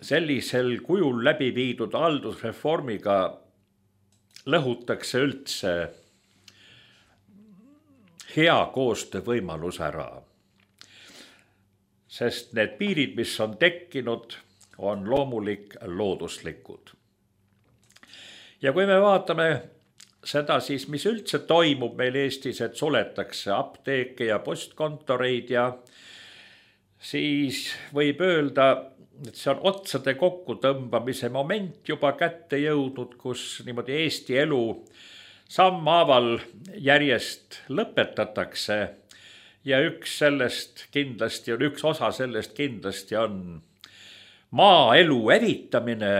Sellisel kujul läbi viidud haldusreformiga lõhutakse üldse hea koostöövõimalus ära. Sest need piirid, mis on tekkinud, on loomulik looduslikud. Ja kui me vaatame seda siis, mis üldse toimub meil Eestis, et suletakse apteeke ja postkontoreid ja siis võib öelda, et see on otsade kokkutõmbamise moment juba kätte jõudnud, kus niimoodi Eesti elu sammhaaval järjest lõpetatakse ja üks sellest kindlasti on, üks osa sellest kindlasti on maaelu hävitamine.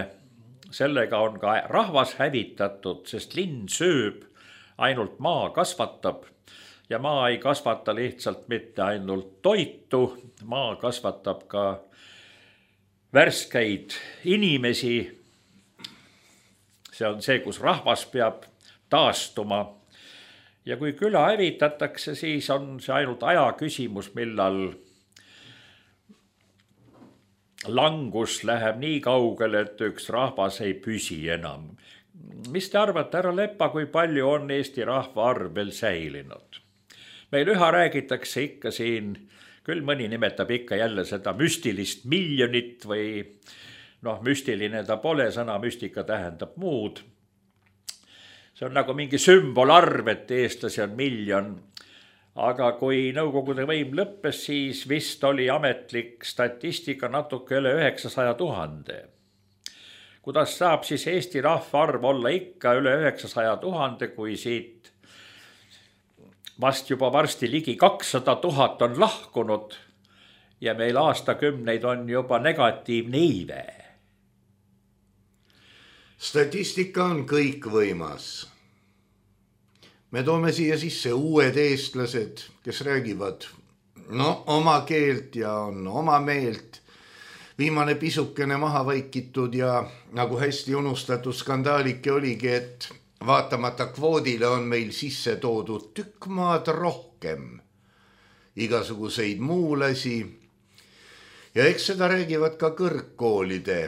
Sellega on ka rahvas hävitatud, sest linn sööb, ainult maa kasvatab ja maa ei kasvata lihtsalt mitte ainult toitu, maa kasvatab ka värskeid inimesi. See on see, kus rahvas peab taastuma. Ja kui küla hävitatakse, siis on see ainult aja küsimus, millal langus läheb nii kaugele, et üks rahvas ei püsi enam. Mis te arvate, härra Lepa, kui palju on Eesti rahva arv veel säilinud? Meil üha räägitakse ikka siin küll mõni nimetab ikka jälle seda müstilist miljonit või noh, müstiline ta pole, sõna müstika tähendab muud. See on nagu mingi sümbolarv, et eestlasi on miljon. Aga kui Nõukogude võim lõppes, siis vist oli ametlik statistika natuke üle üheksasaja tuhande. Kuidas saab siis Eesti rahvaarv olla ikka üle üheksasaja tuhande, kui siit vast juba varsti ligi kakssada tuhat on lahkunud ja meil aastakümneid on juba negatiivne iive? Statistika on kõikvõimas. Me toome siia sisse uued eestlased, kes räägivad no, oma keelt ja on oma meelt. Viimane pisukene maha vaikitud ja nagu hästi unustatud skandaalike oligi, et vaatamata kvoodile on meil sisse toodud tükk maad rohkem igasuguseid muulasi. Ja eks seda räägivad ka kõrgkoolide,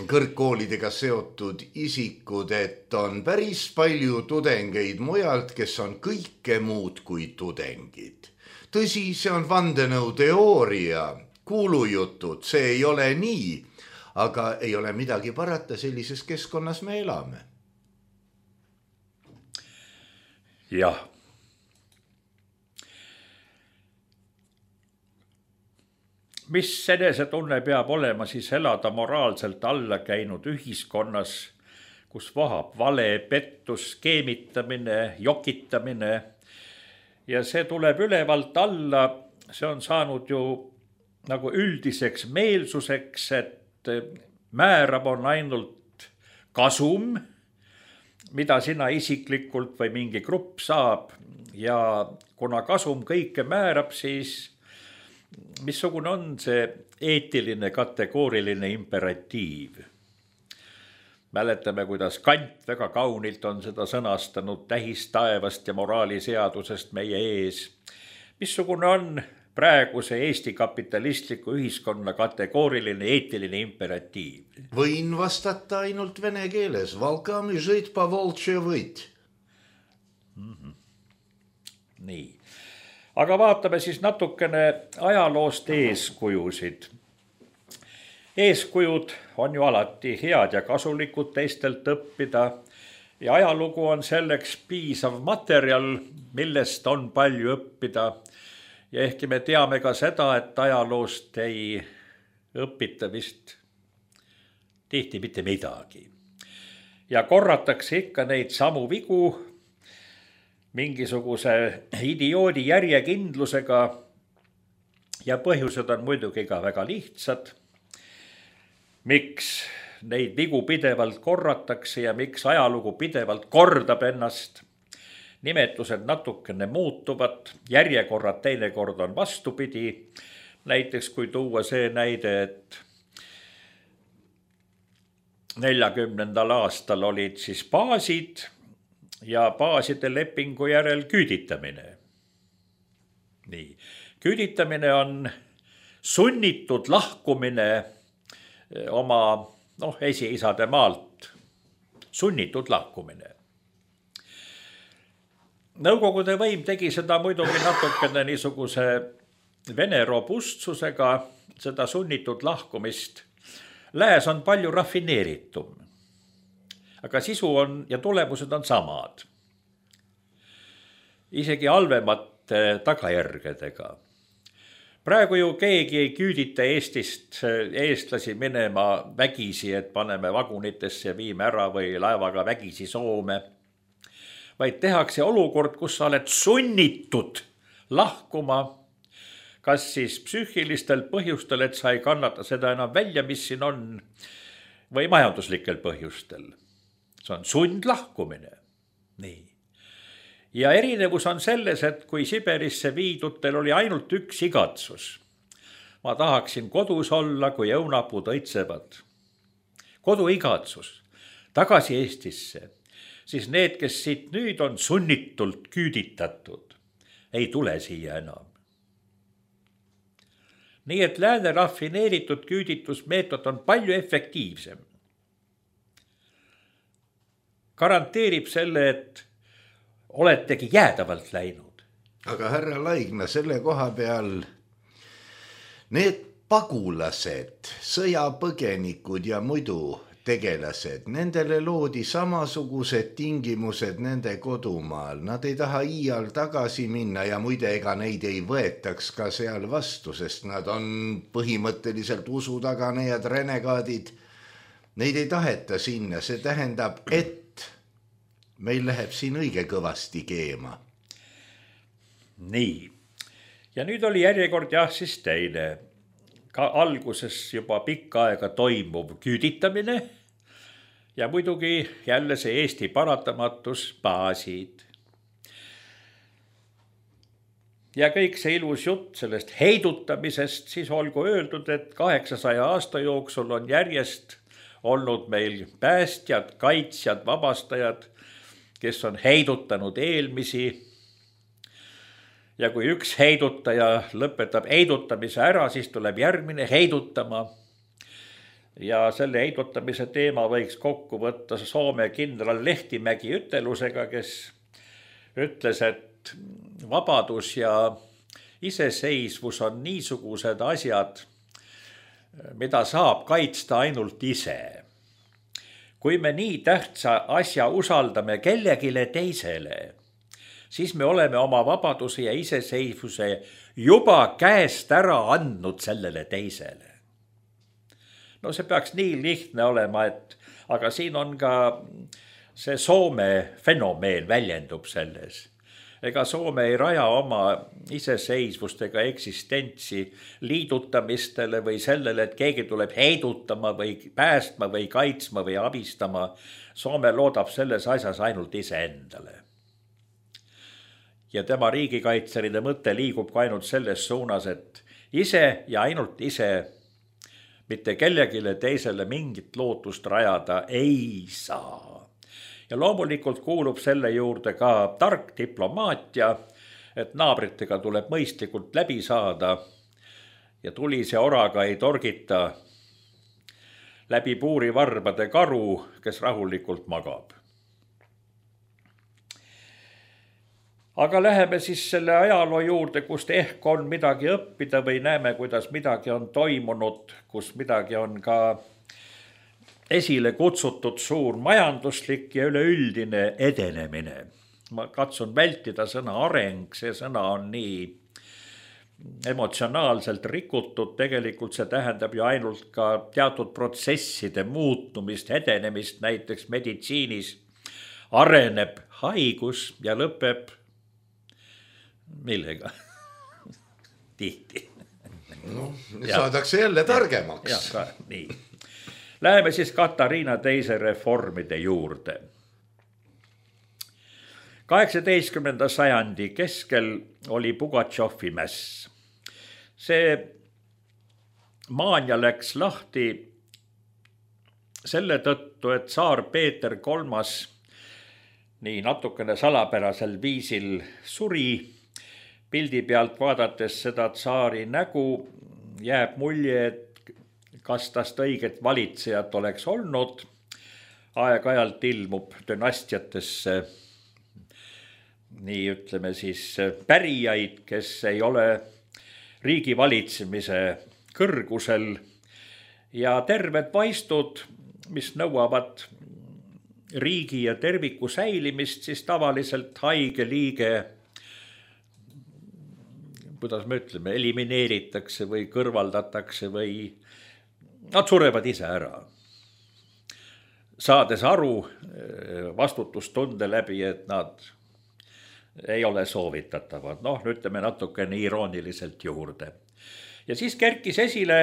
kõrgkoolidega seotud isikud, et on päris palju tudengeid mujalt, kes on kõike muud kui tudengid. Tõsi, see on vandenõuteooria, kuulujutud, see ei ole nii, aga ei ole midagi parata, sellises keskkonnas me elame. Jah. Mis enesetunne peab olema siis elada moraalselt alla käinud ühiskonnas, kus vohab vale, pettus, skeemitamine, jokitamine ja see tuleb ülevalt alla, see on saanud ju nagu üldiseks meelsuseks, et määrab on ainult kasum, mida sina isiklikult või mingi grupp saab ja kuna kasum kõike määrab, siis missugune on see eetiline kategooriline imperatiiv? Mäletame, kuidas Kant väga kaunilt on seda sõnastanud tähistaevast ja moraaliseadusest meie ees. Missugune on praeguse Eesti kapitalistliku ühiskonna kategooriline eetiline imperatiiv? Võin vastata ainult vene keeles. Valkami žit pa voltše võit. Mm-hmm. Nii. Aga vaatame siis natukene ajaloost eeskujusid. Eeskujud on ju alati head ja kasulikud teistelt õppida ja ajalugu on selleks piisav materjal, millest on palju õppida. Ja ehkki me teame ka seda, et ajaloost ei õpita vist tihti mitte midagi. Ja korratakse ikka neid samu vigu mingisuguse idioodi järjekindlusega ja põhjused on muidugi ka väga lihtsad. Miks neid vigu pidevalt korratakse ja miks ajalugu pidevalt kordab ennast? Nimetused natukene muutuvad, järjekorrad teinekord on vastupidi. Näiteks kui tuua see näide, et neljakümnendal aastal olid siis baasid ja baaside lepingu järel küüditamine. Nii. Küüditamine on sunnitud lahkumine oma noh, esiisade maalt. Sunnitud lahkumine. Nõukogude võim tegi seda muidugi natukene niisuguse vene robustsusega, seda sunnitud lahkumist. Lääs on palju rafineeritum, aga sisu on ja tulemused on samad. Isegi halvemate tagajärgedega. Praegu ju keegi ei küüdita Eestist eestlasi minema vägisi, et paneme vagunitesse ja viime ära või laevaga vägisi Soome. Vaid tehakse olukord, kus sa oled sunnitud lahkuma, kas siis psüühilistel põhjustel, et sa ei kannata seda enam välja, mis siin on, või majanduslikel põhjustel. See on sundlahkumine. Nii. Ja erinevus on selles, et kui Siberisse viidutel oli ainult üks igatsus. Ma tahaksin kodus olla, kui õunapud õitsevad. Kodu igatsus, tagasi Eestisse. Siis need, kes siit nüüd on sunnitult küüditatud, ei tule siia enam. Nii et lääne rafineeritud küüditusmeetod on palju efektiivsem. Garanteerib selle, et oletegi jäädavalt läinud. Aga härra Laigna, selle koha peal need pagulased, sõjapõgenikud ja muidu tegelased, nendele loodi samasugused tingimused nende kodumaal. Nad ei taha iial tagasi minna ja muide, ega neid ei võetaks ka seal vastu, sest nad on põhimõtteliselt usutaganejad, renegaadid. Neid ei taheta sinna, see tähendab, et meil läheb siin õige kõvasti keema. Nii, ja nüüd oli järjekord jah siis teine. Ka alguses juba pikka aega toimuv küüditamine ja muidugi jälle see Eesti paratamatus baasid. Ja kõik see ilus jutt sellest heidutamisest, siis olgu öeldud, et kaheksasaja aasta jooksul on järjest olnud meil päästjad, kaitsjad, vabastajad, kes on heidutanud eelmisi. Ja kui üks heidutaja lõpetab heidutamise ära, siis tuleb järgmine heidutama. Ja selle heidutamise teema võiks kokku võtta Soome kindral Lehtimägi ütelusega, kes ütles, et vabadus ja iseseisvus on niisugused asjad, mida saab kaitsta ainult ise. Kui me nii tähtsa asja usaldame kellegile teisele, siis me oleme oma vabaduse ja iseseisvuse juba käest ära andnud sellele teisele. No see peaks nii lihtne olema, et aga siin on ka see Soome fenomeen väljendub selles. Ega Soome ei raja oma iseseisvust ega eksistentsi liidutamistele või sellele, et keegi tuleb heidutama või päästma või kaitsma või abistama. Soome loodab selles asjas ainult iseendale. Ja tema riigikaitseride mõte liigub ka ainult selles suunas, et ise ja ainult ise mitte kellegile teisele mingit lootust rajada ei saa. Ja loomulikult kuulub selle juurde ka tark diplomaatia, et naabritega tuleb mõistlikult läbi saada ja tulise oraga ei torgita läbi puurivarbade karu, kes rahulikult magab. Aga läheme siis selle ajaloo juurde, kust ehk on midagi õppida või näeme, kuidas midagi on toimunud, kus midagi on ka esile kutsutud suur majanduslik ja üleüldine edenemine. Ma katsun vältida sõna areng, see sõna on nii emotsionaalselt rikutud, tegelikult see tähendab ju ainult ka teatud protsesside muutumist, edenemist, näiteks meditsiinis areneb haigus ja lõpeb millega? Tihti. No, saadakse jälle targemaks. Ja, ja, nii. Läheme siis Katariina teise reformide juurde. kaheksateistkümnenda sajandi keskel oli Pugatšovi mäss. See maania läks lahti selle tõttu, et tsaar Peeter kolmas nii natukene salapärasel viisil suri. Pildi pealt vaadates seda tsaari nägu jääb mulje, et kas tast õiget valitsejat oleks olnud. Aeg-ajalt ilmub dünastiatesse nii ütleme siis pärijaid, kes ei ole riigi valitsemise kõrgusel ja terved vaistud, mis nõuavad riigi ja terviku säilimist, siis tavaliselt haige liige, kuidas me ütleme, elimineeritakse või kõrvaldatakse või nad surevad ise ära. Saades aru vastutustunde läbi, et nad ei ole soovitatavad. Noh, ütleme natukene irooniliselt juurde. Ja siis kerkis esile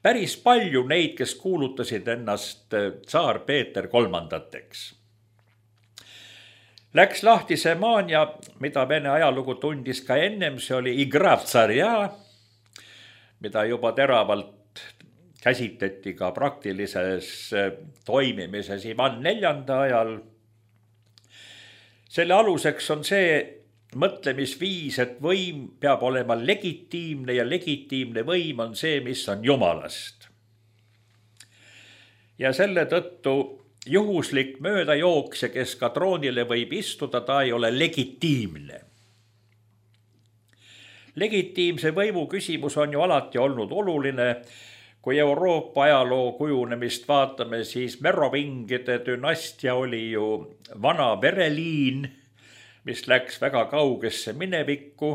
päris palju neid, kes kuulutasid ennast tsaar Peeter kolmandateks. Läks lahti see maania, mida Vene ajalugu tundis ka ennem, see oli igra v tsarja, mida juba teravalt käsitleti ka praktilises toimimises Ivan neljanda ajal. Selle aluseks on see mõtlemisviis, et võim peab olema legitiimne ja legitiimne võim on see, mis on Jumalast. Ja selle tõttu juhuslik möödajooksja, kes ka troonile võib istuda, ta ei ole legitiimne. legitiimse võimu küsimus on ju alati olnud oluline. Kui Euroopa ajaloo kujunemist vaatame, siis merovingide dünastia oli ju vana vereliin, mis läks väga kaugesse minevikku.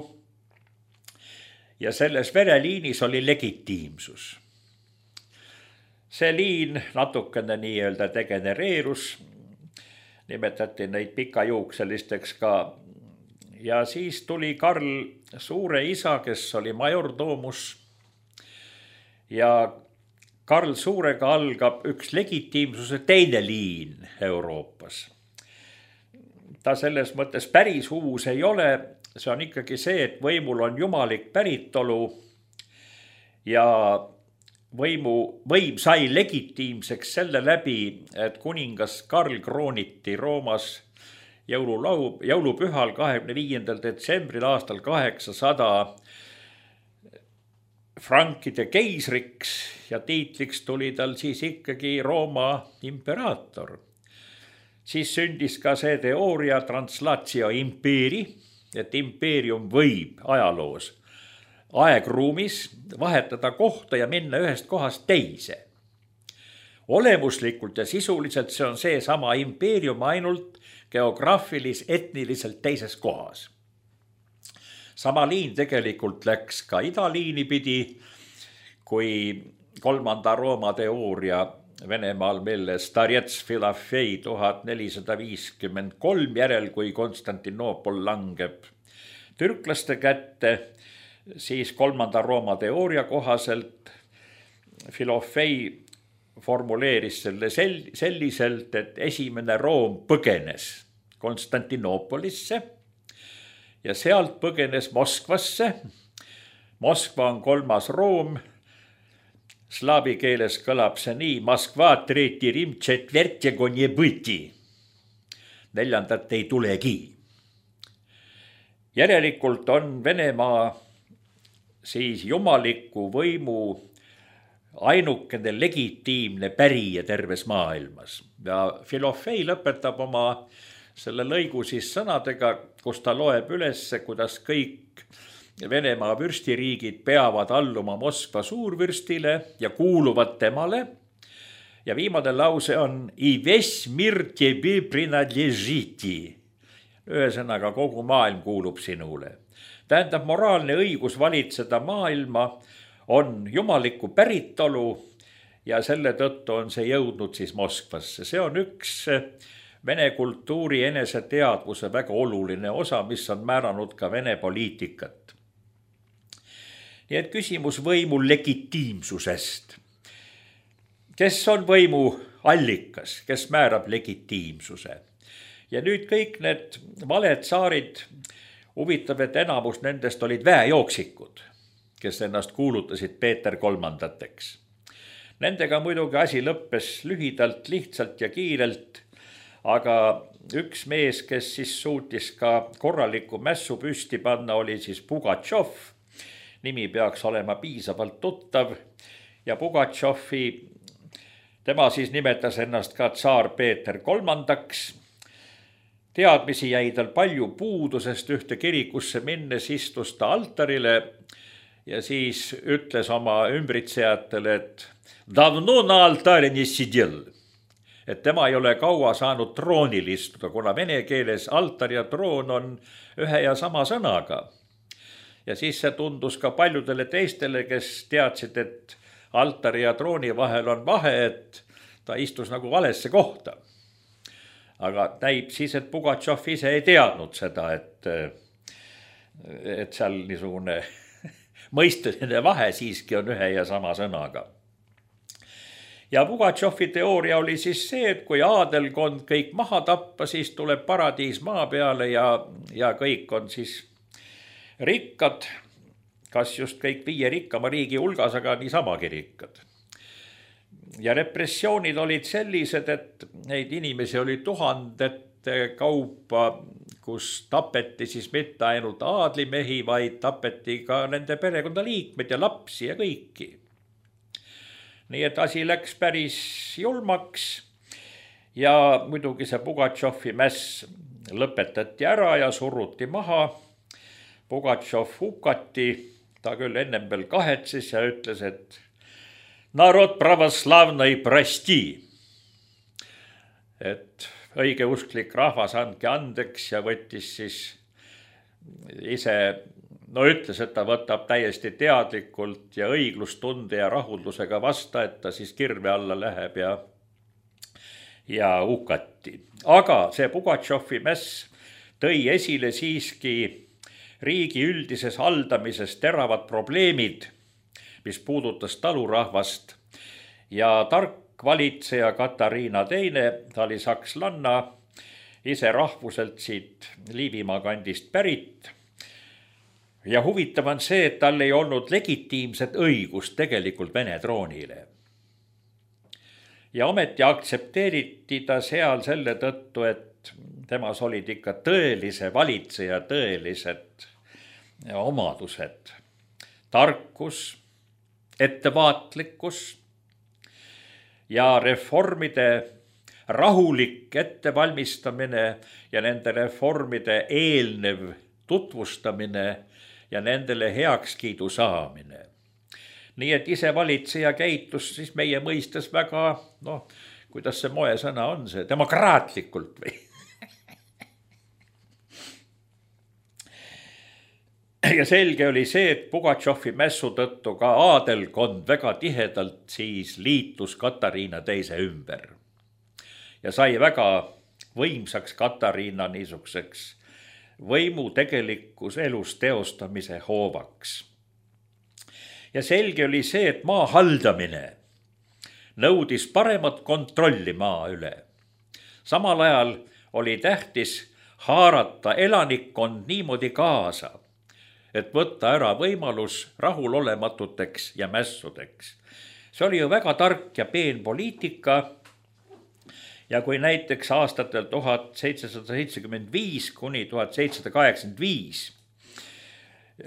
Ja selles vereliinis oli legitiimsus. See liin natukene nii-öelda degenereerus, nimetati neid pikajuukselisteks ka. Ja siis tuli Karl Suure isa, kes oli majordoomus. Ja Karl Suurega algab üks legitiimsuse teine liin Euroopas. Ta selles mõttes päris uus ei ole. See on ikkagi see, et võimul on jumalik päritolu ja võimu, võim sai legitiimseks selle läbi, et kuningas Karl krooniti Roomas jõululau, jõulupühal kahekümne viiendal detsembril aastal kaheksasada frankide keisriks ja tiitliks tuli tal siis ikkagi Rooma imperaator. Siis sündis ka see teooria translatio impeeri, et impeerium võib ajaloos aegruumis vahetada kohta ja minna ühest kohast teise. Olemuslikult ja sisuliselt see on see sama impeerium ainult geograafilis etniliselt teises kohas. Sama liin tegelikult läks ka idaliini pidi, kui kolmanda Rooma teooria Venemaal, mille Starets Filafei tuhat nelisada viiskümmend kolm järel, kui Konstantinoopol langeb türklaste kätte, siis kolmanda Rooma teooria kohaselt Filafei formuleeris selle sel- selliselt, et esimene Room põgenes Konstantinoopolisse ja sealt põgenes Moskvasse. Moskva on kolmas Room. Slaavi keeles kõlab see nii: Moskva treeti Rim četvertjego nie būti. Neljandat ei tulegi. Järelikult on Venemaa siis jumaliku võimu ainukene legitiimne pärija terves maailmas. Ja Filofei lõpetab oma selle lõigu siis sõnadega, kus ta loeb üles, kuidas kõik Venemaa vürstiriigid peavad alluma Moskva suurvürstile ja kuuluvad temale. Ja viimane lause on I vесь мир тебе принадлежит. Ühesõnaga kogu maailm kuulub sinule. Tähendab, moraalne õigus valitseda maailma on jumaliku päritolu ja selle tõttu on see jõudnud siis Moskvasse. See on üks Vene kultuuri eneseteadvuse väga oluline osa, mis on määranud ka Vene poliitikat. Nii et küsimus võimu legitiimsusest. Kes on võimu allikas, kes määrab legitiimsuse? Ja nüüd kõik need valed saarid, huvitav, et enamus nendest olid väejooksikud, kes ennast kuulutasid Peeter kolmandateks. Nendega muidugi asi lõppes lühidalt, lihtsalt ja kiirelt, aga üks mees, kes siis suutis ka korraliku mässu püsti panna, oli siis Pugatšov. Nimi peaks olema piisavalt tuttav ja Pugatšovi, tema siis nimetas ennast ka tsaar Peeter kolmandaks. Teadmisi jäi tal palju puudu, sest ühte kirikusse minnes istus ta altarile ja siis ütles oma ümbritsejatele, et davno na altari не сидел. Et tema ei ole kaua saanud troonil istuda, kuna vene keeles altar ja troon on ühe ja sama sõnaga. Ja siis see tundus ka paljudele teistele, kes teadsid, et altari ja trooni vahel on vahe, et ta istus nagu valesse kohta. Aga näib siis, et Pugatšov ise ei teadnud seda, et, et seal niisugune mõisteline vahe siiski on ühe ja sama sõnaga. Ja Pugatšovi teooria oli siis see, et kui aadelkond kõik maha tappa, siis tuleb paradiis maa peale ja, ja kõik on siis rikkad, kas just kõik viie rikkama riigi hulgas, aga niisamagi rikkad. Ja repressioonid olid sellised, et neid inimesi oli tuhandete kaupa, kus tapeti siis mitte ainult aadlimehi, vaid tapeti ka nende perekonnaliikmed ja lapsi ja kõiki. Nii et asi läks päris julmaks ja muidugi see Pugatšovi mäss lõpetati ära ja suruti maha. Pugatšov hukati, ta küll ennem veel kahetses ja ütles, et narod pravoslavnai prosti. Et õigeusklik rahvas andke andeks ja võttis siis ise, no ütles, et ta võtab täiesti teadlikult ja õiglustunde ja rahuldusega vasta, et ta siis kirve alla läheb ja, ja hukati. Aga see Pugatšovi mäss tõi esile siiski riigi üldises haldamises teravad probleemid, mis puudutas talurahvast ja tark valitseja Katariina teine, ta oli sakslanna, ise rahvuselt siit Liivimaa kandist pärit. Ja huvitav on see, et tal ei olnud legitiimset õigust tegelikult Vene troonile. Ja ometi aktsepteeriti ta seal selle tõttu, et temas olid ikka tõelise valitseja tõelised omadused. Tarkus, ettevaatlikkus ja reformide rahulik ettevalmistamine ja nende reformide eelnev tutvustamine ja nendele heakskiidu saamine. Nii et ise valitseja käitus siis meie mõistes väga, noh, kuidas see moesõna on see, demokraatlikult või? Ja selge oli see, et Pugatšovi mässu tõttu ka aadelkond väga tihedalt siis liitus Katariina teise ümber. Ja sai väga võimsaks Katariina niisuguseks võimu tegelikus elus teostamise hoovaks. Ja selge oli see, et maa haldamine nõudis paremat kontrolli maa üle. Samal ajal oli tähtis haarata elanikkond niimoodi kaasa, et võtta ära võimalus rahulolematuteks ja mässudeks. See oli ju väga tark ja peen poliitika ja kui näiteks aastatel tuhat seitsesada seitsekümmend viis kuni tuhat seitsesada kaheksakümmend viis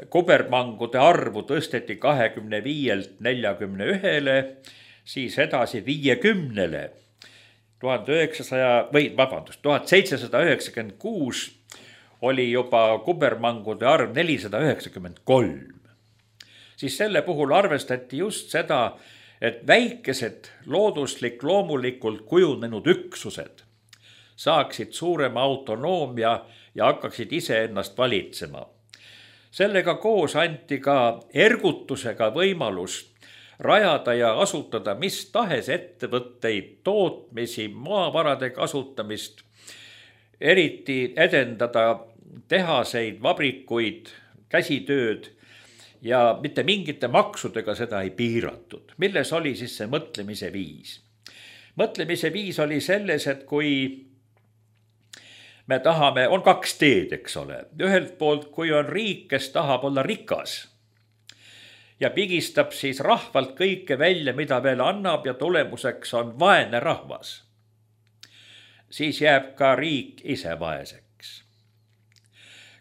kubermangude arvu tõsteti kahekümne viielt neljakümne ühele, siis edasi viiekümnele, tuhande üheksasaja, või vabandust, tuhat seitsesada üheksakümmend kuus oli juba kubermangude arv nelisada üheksakümmend kolm. Siis selle puhul arvestati just seda, et väikesed looduslik loomulikult kujunenud üksused saaksid suurema autonoomia ja hakkaksid ise ennast valitsema. Sellega koos anti ka ergutusega võimalus rajada ja asutada mis tahes ettevõtteid, tootmisi, maavarade kasutamist, eriti edendada tehaseid, vabrikuid, käsitööd ja mitte mingite maksudega seda ei piiratud. Milles oli siis see mõtlemise viis? Mõtlemise viis oli selles, et kui me tahame, on kaks teed, eks ole. Ühelt poolt, kui on riik, kes tahab olla rikas ja pigistab siis rahvalt kõike välja, mida veel annab ja tulemuseks on vaene rahvas, siis jääb ka riik ise vaeseks.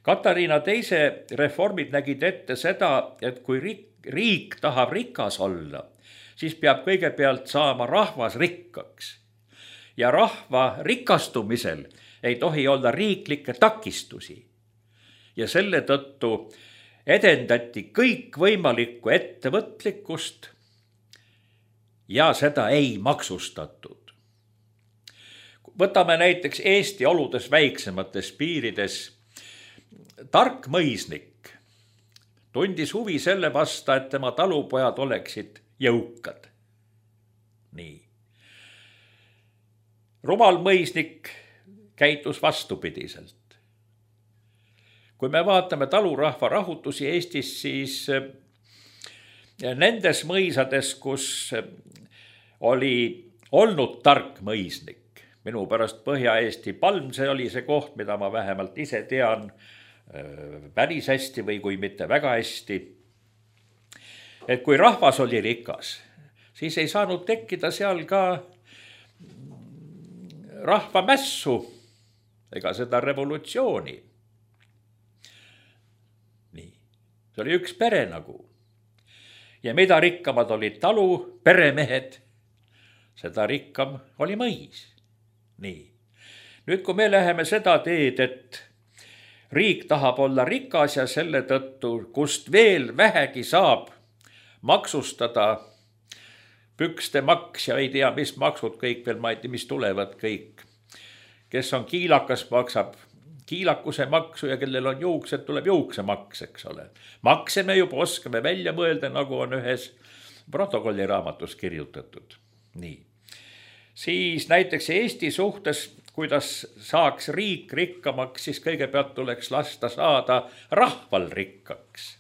Katariina teise reformid nägid ette seda, et kui riik, riik tahab rikas olla, siis peab kõigepealt saama rahvas rikkaks. Ja rahva rikastumisel ei tohi olla riiklikke takistusi. Ja selle tõttu edendati kõik võimalikku ettevõtlikkust ja seda ei maksustatud. Võtame näiteks Eesti oludes väiksemates piirides. Tark mõisnik tundis huvi selle vasta, et tema talupojad oleksid jõukad. Nii. Rumal mõisnik käitus vastupidiselt. Kui me vaatame talurahva rahutusi Eestis, siis nendes mõisades, kus oli olnud tark mõisnik, minu pärast Põhja-Eesti Palm, see oli see koht, mida ma vähemalt ise tean päris hästi või kui mitte väga hästi. Et kui rahvas oli rikas, siis ei saanud tekkida seal ka rahvamässu ega seda revolutsiooni. Nii, see oli üks pere nagu. Ja mida rikkamad olid talu, peremehed, seda rikkam oli mõis. Nii. Nüüd, kui me läheme seda teed, et riik tahab olla rikas ja selle tõttu, kust veel vähegi saab maksustada pükste maks ja ei tea, mis maksud kõik veel, ma ei tea, mis tulevad kõik. Kes on kiilakas, maksab kiilakuse maksu ja kellel on juuksed, tuleb juuksemaks, eks ole. Makse me juba oskame välja mõelda, nagu on ühes protokolli raamatus kirjutatud. Nii. Siis näiteks Eesti suhtes, kuidas saaks riik rikkamaks, siis kõigepealt tuleks lasta saada rahval rikkaks.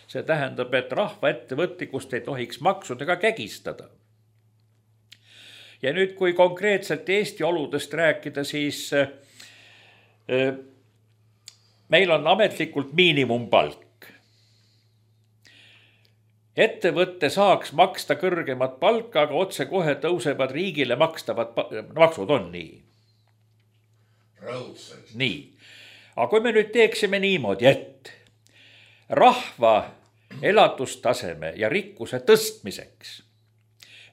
See tähendab, et rahva ettevõtlikust ei tohiks maksudega kägistada. Ja nüüd, kui konkreetselt Eesti oludest rääkida, siis meil on ametlikult miinimumpalk. Ettevõtte saaks maksta kõrgemat palka, aga otse kohe tõusevad riigile makstavad maksud on nii. Raudselt. Nii. Aga kui me nüüd teeksime niimoodi, et rahva elatustaseme ja rikkuse tõstmiseks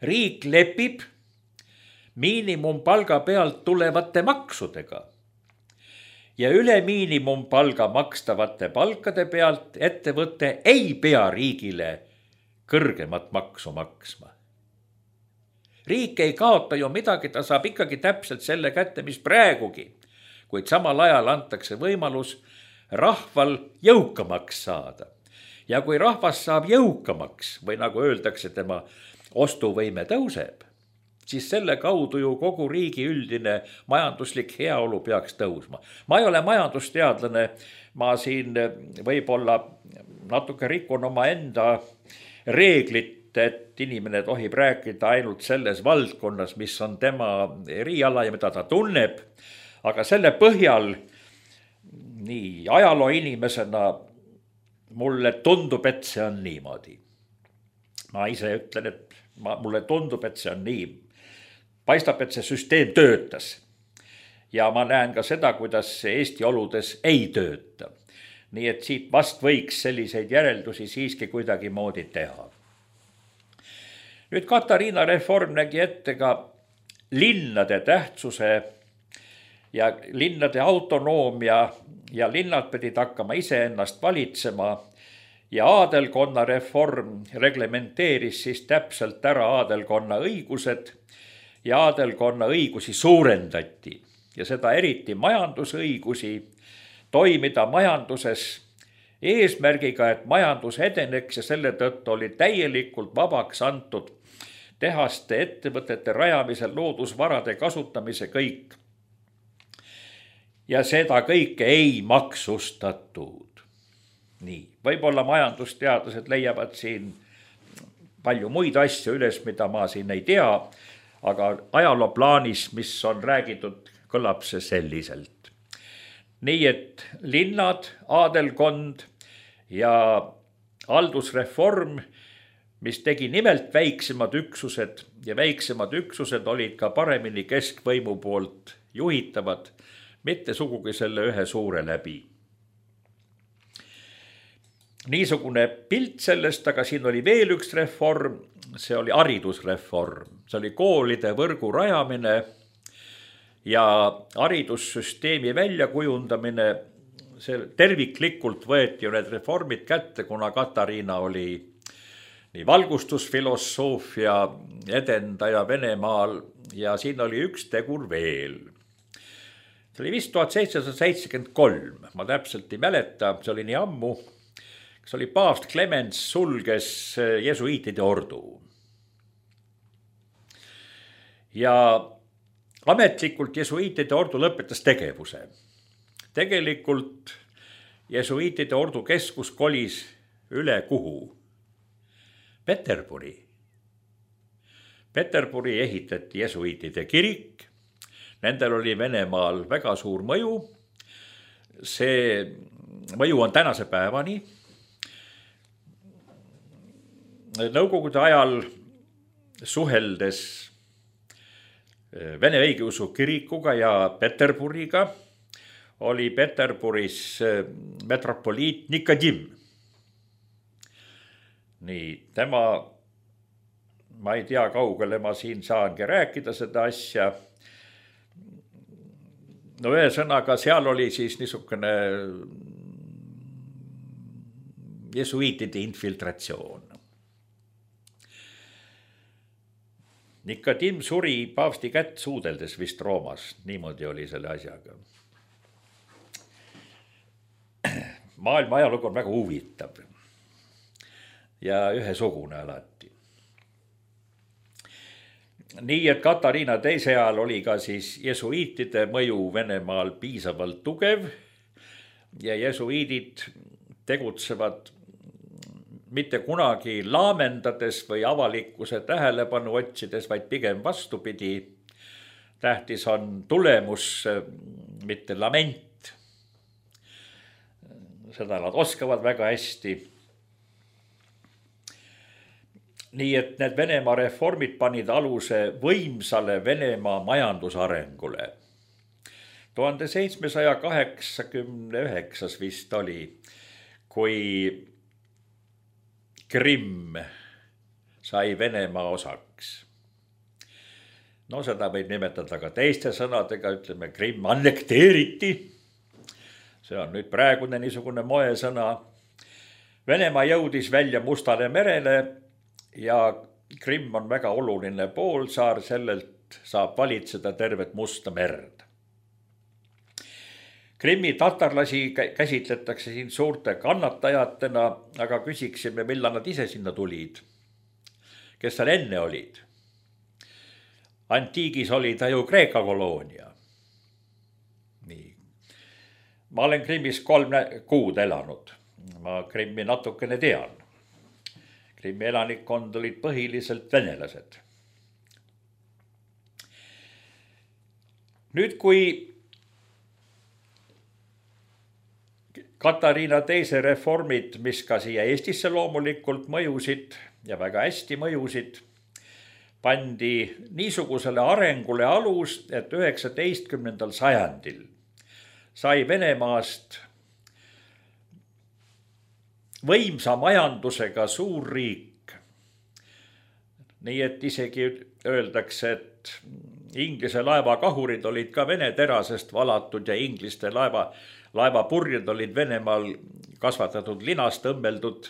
riik lepib miinimumpalga pealt tulevate maksudega ja üle miinimumpalga makstavate palkade pealt ettevõte ei pea riigile kõrgemat maksu maksma. Riik ei kaota ju midagi, ta saab ikkagi täpselt selle kätte, mis praegugi, kuid samal ajal antakse võimalus rahval jõukamaks saada. Ja kui rahvas saab jõukamaks või nagu öeldakse, tema ostuvõime tõuseb, siis selle kaudu ju kogu riigi üldine majanduslik heaolu peaks tõusma. Ma ei ole majandusteadlane, ma siin võib-olla natuke rikun oma enda reeglit, et inimene tohib rääkida ainult selles valdkonnas, mis on tema eriala ja mida ta tunneb, aga selle põhjal nii ajaloo inimesena mulle tundub, et see on niimoodi. Ma ise ütlen, et ma, mulle tundub, et see on nii. Paistab, et see süsteem töötas. Ja ma näen ka seda, kuidas see Eesti oludes ei tööta. Nii et siit vast võiks selliseid järeldusi siiski kuidagi moodi teha. Nüüd Katariina reform nägi ette ka linnade tähtsuse ja linnade autonoomia ja linnad pidid hakkama iseennast valitsema ja aadelkonna reform reglementeeris siis täpselt ära aadelkonna õigused ja aadelkonna õigusi suurendati ja seda eriti majandusõigusi toimida majanduses eesmärgiga, et majandus edeneks ja selle tõttu oli täielikult vabaks antud tehaste, ettevõtete rajamisel, loodusvarade kasutamise kõik. Ja seda kõike ei maksustatud. Nii, võib-olla majandusteadlased leiavad siin palju muid asju üles, mida ma siin ei tea, aga ajaloo plaanis, mis on räägitud, kõlab see selliselt. Nii et linnad, aadelkond ja haldusreform, mis tegi nimelt väiksemad üksused ja väiksemad üksused olid ka paremini keskvõimu poolt juhitavad, mitte sugugi selle ühe suure läbi. Niisugune pilt sellest, aga siin oli veel üks reform, see oli haridusreform, see oli koolide võrgu rajamine ja haridussüsteemi väljakujundamine, see terviklikult võeti ju need reformid kätte, kuna Katariina oli nii valgustusfilosoofia edendaja Venemaal ja siin oli üks tegur veel. See oli vist tuhat seitsesada seitsekümmend kolm, ma täpselt ei mäleta, see oli nii ammu, see oli paavst Clemens sulges jesuiitide ordu. Ja ametlikult jesuiitide ordu lõpetas tegevuse. Tegelikult jesuiitide ordu keskus kolis üle kuhu? Peterburi. Peterburi ehitati jesuiitide kirik, nendel oli Venemaal väga suur mõju, see mõju on tänase päevani. Nõukogude ajal suheldes Vene õigeusu kirikuga ja Peterburiga oli Peterburis metropoliit Nikodim. Nii, tema, ma ei tea, kaugele ma siin saangi rääkida seda asja. no ühesõnaga, seal oli siis niisugune jesuiitide infiltratsioon. Nikodim suri paavsti kätt suudeldes vist Roomas, niimoodi oli selle asjaga. Maailma ajalugu on väga huvitav ja ühesugune alati. Nii, et Katariina teise ajal oli ka siis jesuiitide mõju Venemaal piisavalt tugev ja jesuiidid tegutsevad mitte kunagi laamendades või avalikkuse tähelepanu otsides, vaid pigem vastupidi. Tähtis on tulemus, mitte lament. Seda nad oskavad väga hästi. Nii et need Venemaa reformid panid aluse võimsale Venemaa majandusarengule. tuhande seitsmesaja kaheksakümne üheksas vist oli, kui Krimm sai Venemaa osaks. No seda võib nimetada ka teiste sõnadega, ütleme, Krimm annekteeriti. See on nüüd praegune niisugune moesõna. Venemaa jõudis välja Mustale merele ja Krimm on väga oluline poolsaar, sellelt saab valitseda tervet Musta merd. Krimmi tatarlasi käsitletakse siin suurte kannatajatena, aga küsiksime, millal nad ise sinna tulid. Kes seal enne olid? Antiigis oli ta ju Kreeka koloonia. Nii. Ma olen Krimmis kolm kuud elanud. Ma Krimmi natukene tean. Krimmi elanikkond olid põhiliselt venelased. Nüüd, kui Katariina teise reformid, mis ka siia Eestisse loomulikult mõjusid ja väga hästi mõjusid, pandi niisugusele arengule alus, et üheksateistkümnendal sajandil sai Venemaast võimsa majandusega suur riik. Nii et isegi öeldakse, et Inglise laevakahurid olid ka Vene terasest valatud ja ingliste laeva, laevapurjed olid Venemaal kasvatatud linast õmmeldud.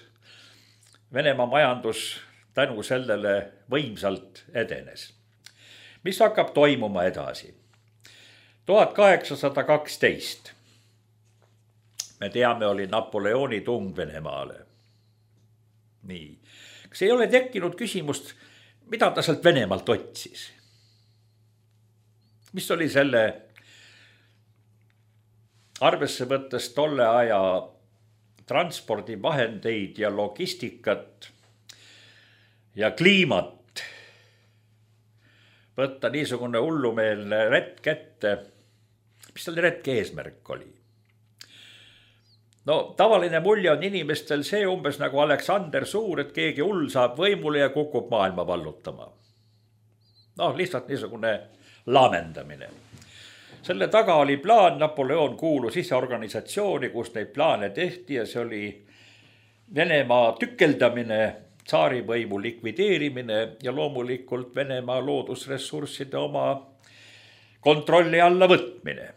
Venemaa majandus tänu sellele võimsalt edenes. Mis hakkab toimuma edasi? tuhat kaheksasada kaksteist. Me teame, oli Napoleoni tung Venemaale. Nii. Kas ei ole tekkinud küsimust, mida ta sealt Venemaalt otsis? Mis oli selle arvesse võttes tolle aja transpordivahendeid ja logistikat ja kliimat võtta niisugune hullumeelne retk ette? Mis selle retke eesmärk oli? No tavaline mulje on inimestel see umbes nagu Aleksander Suur, et keegi hull saab võimule ja kukub maailma vallutama. No lihtsalt niisugune laamendamine. Selle taga oli plaan, Napoleon kuulus ise organisatsiooni, kus neid plaane tehti ja see oli Venemaa tükeldamine, tsaarivõimu likvideerimine ja loomulikult Venemaa loodusressursside oma kontrolli alla võtmine.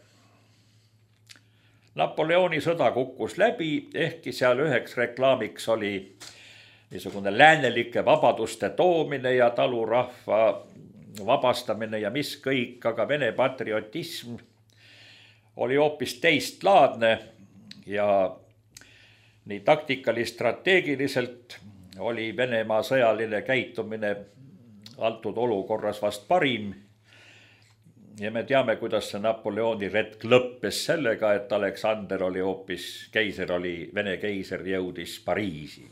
Napoleoni sõda kukkus läbi, ehkki seal üheks reklaamiks oli niisugune läänelike vabaduste toomine ja talurahva vabastamine ja mis kõik, aga Vene patriotism oli hoopis teistlaadne ja nii taktikalist strateegiliselt oli Venemaa sõjaline käitumine antud olukorras vast parim. Ja me teame, kuidas see Napoleoni retk lõppes sellega, et Aleksander oli hoopis keiser, oli Vene keiser, jõudis Pariisi.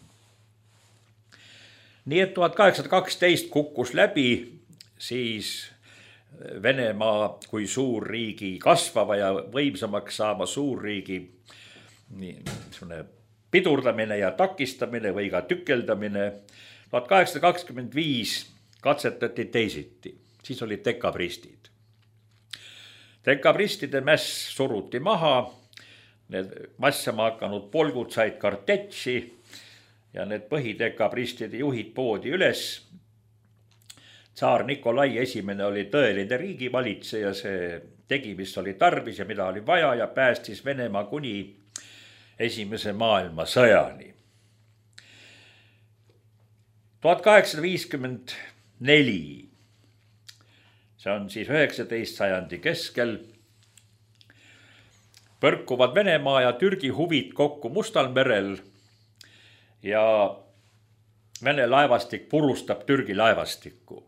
Nii et tuhat kaheksasada kaksteist kukkus läbi siis Venemaa kui suurriigi kasvava ja võimsamaks saama suurriigi pidurdamine ja takistamine või ka tükeldamine. tuhat kaheksasada kakskümmend viis katsetati teisiti, siis olid dekabristid. Dekabristide mäss suruti maha, need massama hakanud polgud said kartetši ja need põhidekabristide juhid poodi üles. tsaar Nikolai esimene oli tõeline riigivalitseja, see tegi, mis oli tarvis ja mida oli vaja ja päästis Venemaa kuni esimese maailmasõjani. tuhat kaheksasada viiskümmend neli, see on siis üheksateist sajandi keskel, põrkuvad Venemaa ja Türgi huvid kokku Mustal merel ja Vene laevastik purustab Türgi laevastikku.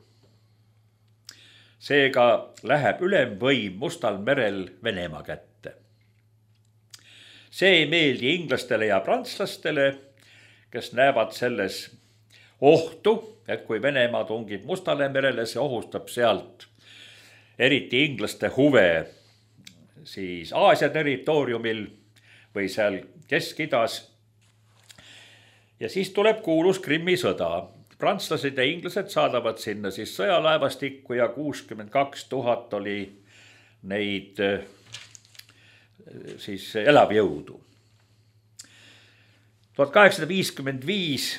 Seega läheb ülemvõim Mustal merel Venemaa kätte. See ei meeldi inglastele ja prantslastele, kes näevad selles ohtu, et kui Venemaa tungib Mustale merele, see ohustab sealt eriti inglaste huve siis Aasia territooriumil või seal Kesk-Idas. Ja siis tuleb kuulus Krimmi sõda. Prantslased ja inglased saadavad sinna siis sõjalaevastikku ja kuuskümmend kaks tuhat oli neid siis elavjõudu. tuhat kaheksasada viiskümmend viis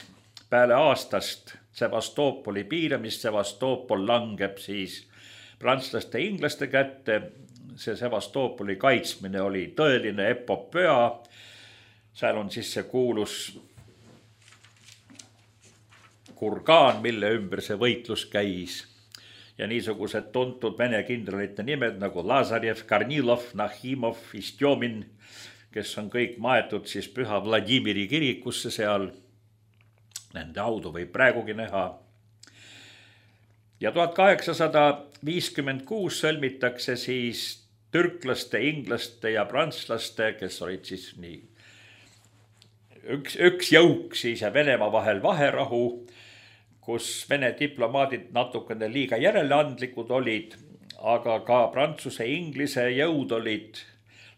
peale aastast Sevastopoli piiramist, Sevastopol langeb siis prantslaste ja inglaste kätte. See Sevastopoli kaitsmine oli tõeline epopöa. Seal on siis see kuulus kurgaan, mille ümber see võitlus käis ja niisugused tuntud vene kindralite nimed nagu Lazarev, Karnilov, Nahimov, Istjomin, kes on kõik maetud siis Püha Vladimiri kirikusse seal. Nende haudu võib praegugi näha. Ja tuhat kaheksasada viiskümmend kuus sõlmitakse siis türklaste, inglaste ja prantslaste, kes olid siis nii üks, üks jõuk siis ja Venemaa vahel vaherahu, kus Vene diplomaadid natukene liiga järeleandlikud olid, aga ka Prantsuse Inglise jõud olid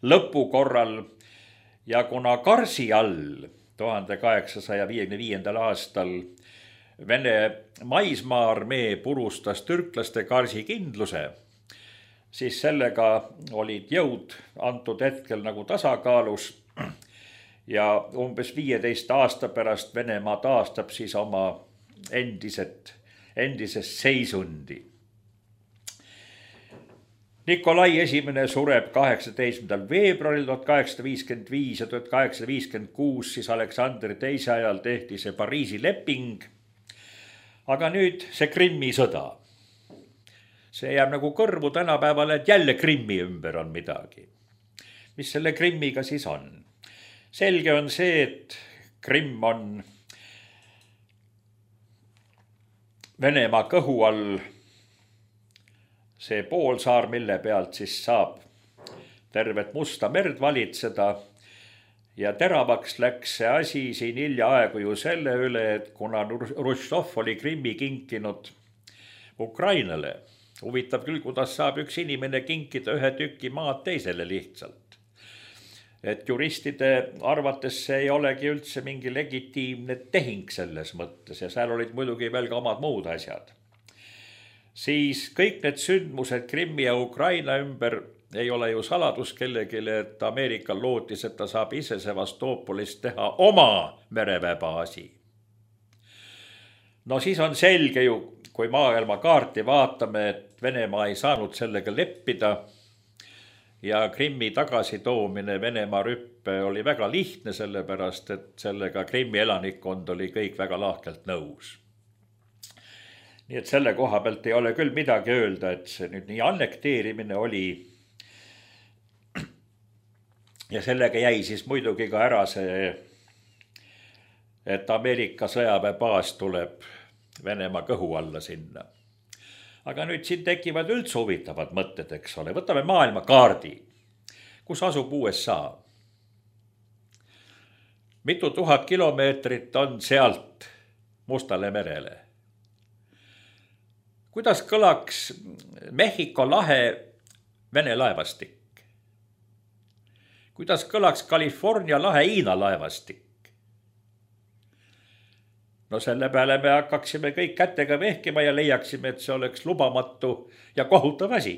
lõpu korral ja kuna Karsi all tuhande kaheksasaja viiekümne viiendal aastal Vene maismaa-armee purustas türklaste Karsi kindluse, siis sellega olid jõud antud hetkel nagu tasakaalus ja umbes viieteist aasta pärast Venemaa taastab siis oma endised, endisest seisundi. Nikolai esimene sureb kaheksateistkümnendal veebruaril tuhat kaheksasada viiskümmend viis ja tuhat kaheksasada viiskümmend kuus siis Aleksander teise ajal tehti see Pariisi leping. Aga nüüd see Krimmi sõda. See jääb nagu kõrvu tänapäeval, et jälle Krimmi ümber on midagi. Mis selle Krimmiga siis on? Selge on see, et Krimm on Venemaa kõhu all see poolsaar, mille pealt siis saab tervet Musta merd valitseda ja teravaks läks see asi siin hiljaaegu ju selle üle, et kuna Hruštšov oli Krimmi kinkinud Ukrainale, huvitav küll, kuidas saab üks inimene kinkida ühe tüki maad teisele lihtsalt. Et juristide arvates see ei olegi üldse mingi legitiimne tehing selles mõttes ja seal olid muidugi veel ka omad muud asjad. Siis kõik need sündmused Krimmi ja Ukraina ümber ei ole ju saladus kellegile, et Ameerika lootis, et ta saab ise Sevastopolist teha oma mereväebaasi. No siis on selge ju, kui maailma kaarti vaatame, et Venemaa ei saanud sellega leppida ja Krimmi tagasitoomine Venemaa rüppe oli väga lihtne, sellepärast, et sellega Krimmi elanikkond oli kõik väga lahkelt nõus. Nii et selle koha pealt ei ole küll midagi öelda, et see nüüd nii annekteerimine oli ja sellega jäi siis muidugi ka ära see, et Ameerika sõjaväebaas tuleb Venemaa kõhu alla sinna. Aga nüüd siin tekivad üldse huvitavad mõtted, eks ole. Võtame maailma kaardi, kus asub U S A. Mitu tuhat kilomeetrit on sealt Mustale merele. Kuidas kõlaks Mehhiko lahe Vene laevastik? Kuidas kõlaks California lahe Hiina laevastik? No selle peale me hakkaksime kõik kätega vehkima ja leiaksime, et see oleks lubamatu ja kohutav asi.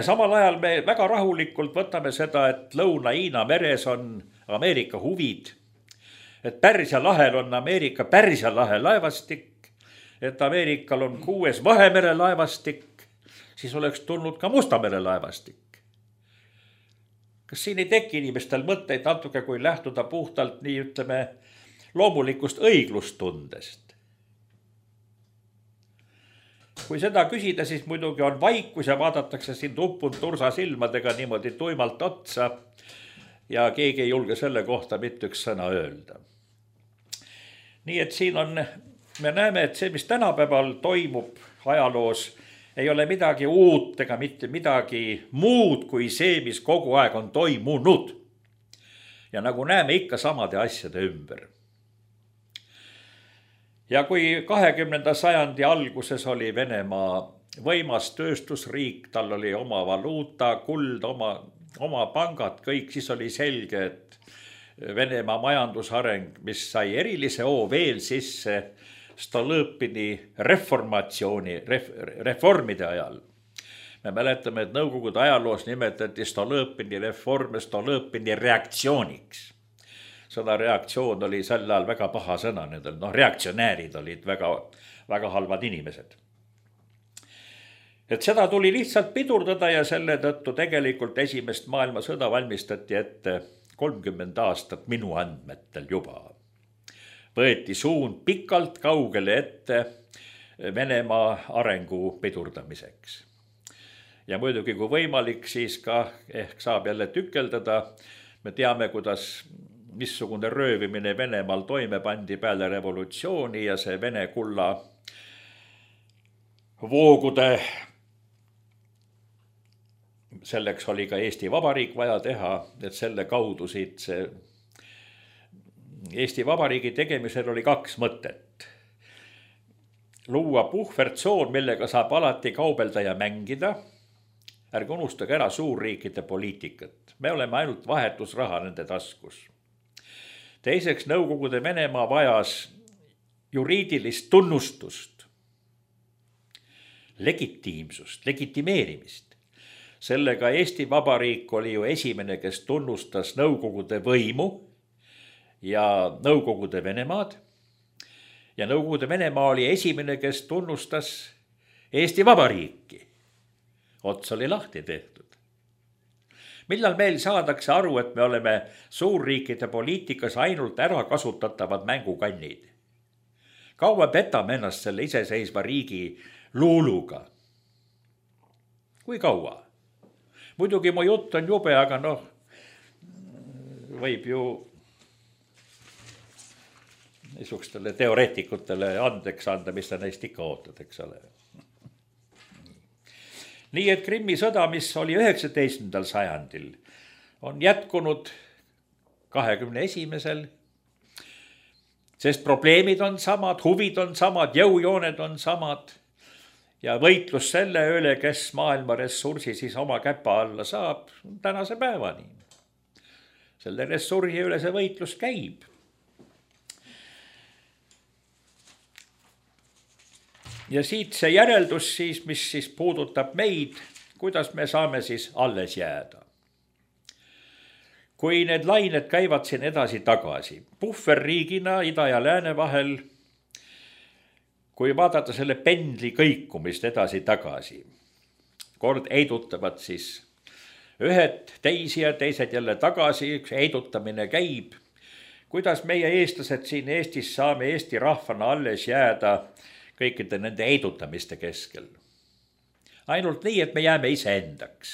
Samal ajal me väga rahulikult võtame seda, et Lõuna-Hiina meres on Ameerika huvid, et Pärsia lahel on Ameerika Pärsia lahe laevastik et Ameerikal on kuues Vahemere laevastik, siis oleks tulnud ka Musta mere laevastik. Kas siin ei teki inimestel mõtteid natuke, kui lähtuda puhtalt nii ütleme loomulikust õiglustundest? Kui seda küsida, siis muidugi on vaikus ja vaadatakse siin uppunud tursa silmadega niimoodi tuimalt otsa ja keegi ei julge selle kohta mitte üks sõna öelda. Nii et siin on, me näeme, et see, mis tänapäeval toimub ajaloos, ei ole midagi uut ega mitte midagi muud kui see, mis kogu aeg on toimunud. Ja nagu näeme ikka samade asjade ümber. Ja kui kahekümnenda sajandi alguses oli Venemaa võimas tööstusriik, tal oli oma valuuta, kuld, oma, oma pangad, kõik, siis oli selge, et Venemaa majandusareng, mis sai erilise hoo veel sisse Stolõpini reformatsiooni, ref, reformide ajal. Me mäletame, et Nõukogude ajaloos nimetati Stolõpini reforme Stolõpini reaktsiooniks. Seda reaktsioon oli sel ajal väga paha sõna nendel, noh reaktsionäärid olid väga, väga halvad inimesed. Et seda tuli lihtsalt pidurdada ja selle tõttu tegelikult esimest maailmasõda valmistati ette kolmkümmend aastat minu andmetel juba. Võeti suund pikalt kaugele ette Venemaa arengu pidurdamiseks. Ja muidugi kui võimalik, siis ka ehk saab jälle tükeldada. Me teame, kuidas missugune röövimine Venemaal toime pandi peale revolutsiooni ja see Vene kulla voogude, selleks oli ka Eesti Vabariik vaja teha, et selle kaudu siit see Eesti Vabariigi tegemisel oli kaks mõtet. Luua puhvertsoon, millega saab alati kaubelda ja mängida. Ärge unustage ära suurriikide poliitikat. Me oleme ainult vahetusraha nende taskus. Teiseks, Nõukogude Venemaa vajas juriidilist tunnustust, legitiimsust, legitimeerimist. Sellega Eesti Vabariik oli ju esimene, kes tunnustas Nõukogude võimu ja Nõukogude Venemaad. Ja Nõukogude Venemaa oli esimene, kes tunnustas Eesti Vabariiki. Ots oli lahti tehtud. Millal meil saadakse aru, et me oleme suurriikide poliitikas ainult ära kasutatavad mängukannid? Kaua petame ennast selle iseseisva riigi luuluga? Kui kaua? Muidugi mu jutt on jube, aga noh, võib ju niisugustele teoreetikutele andeks anda, mis ta neist ikka ootad, eks ole. Nii et Krimmi sõda, mis oli üheksateistkümnendal sajandil, on jätkunud kahekümne esimesel, sest probleemid on samad, huvid on samad, jõujooned on samad ja võitlus selle üle, kes maailma ressursi siis oma käpa alla saab, tänase päevani. Selle ressursi üle see võitlus käib. Ja siit see järeldus siis, mis siis puudutab meid, kuidas me saame siis alles jääda. Kui need lained käivad siin edasi tagasi, puhverriigina ida ja lääne vahel, kui vaadata selle pendli kõikumist edasi tagasi, kord heidutavad siis ühed teisi ja teised jälle tagasi, üks heidutamine käib, kuidas meie eestlased siin Eestis saame Eesti rahvana alles jääda kõikide nende heidutamiste keskel. Ainult nii, et me jääme iseendaks.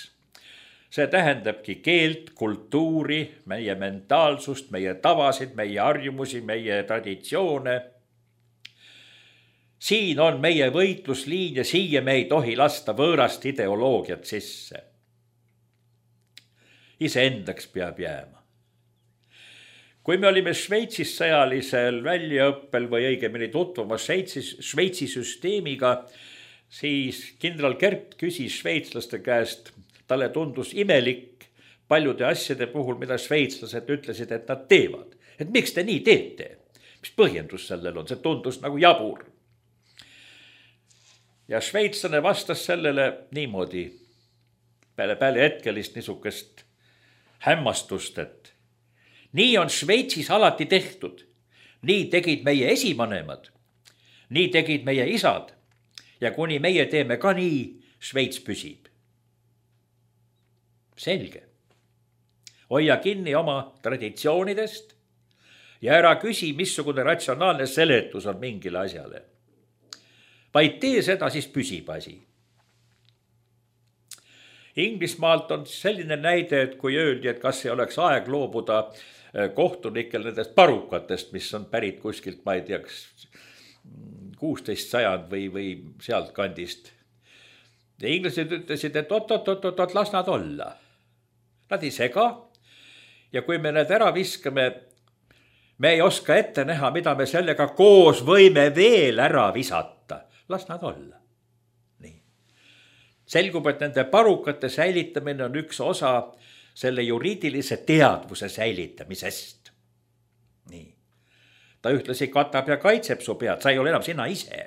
See tähendabki keelt, kultuuri, meie mentaalsust, meie tavasid, meie harjumusi, meie traditsioone. Siin on meie võitlusliin ja siia me ei tohi lasta võõrast ideoloogiat sisse. Iseendaks peab jääma. Kui me olime Šveitsis sõjalisel väljaõppel või õigemini tutvumas Šveitsi süsteemiga, siis kindral Kert küsis šveitslaste käest, talle tundus imelik paljude asjade puhul, mida šveitslased ütlesid, et nad teevad. Et miks te nii teete? Mis põhjendus sellel on? See tundus nagu jabur. Ja šveitslane vastas sellele niimoodi, peale, peale hetkelist niisugust hämmastust, et nii on Šveitsis alati tehtud. Nii tegid meie esivanemad. nii tegid meie isad ja kuni meie teeme ka nii, Šveits püsib. Selge. Hoia kinni oma traditsioonidest ja ära küsi, missugune ratsionaalne seletus on mingile asjale. Vaid tee seda, siis püsib asi. Inglismaalt on selline näide, et kui öeldi, et kas ei oleks aeg loobuda kohtunikel nendest parukatest, mis on pärit kuskilt, ma ei teaks, kuusteist sajand või, või sealt kandist. Ja inglased ütlesid, et oot, oot, oot, oot, las nad olla. Nad ei sega ja kui me need ära viskame, me ei oska ette näha, mida me sellega koos võime veel ära visata. Las nad olla. Nii. Selgub, et nende parukate säilitamine on üks osa selle juriidilise teadvuse säilitamisest. Nii. Ta ühtlasi katab ja kaitseb su pead, sa ei ole enam sina ise.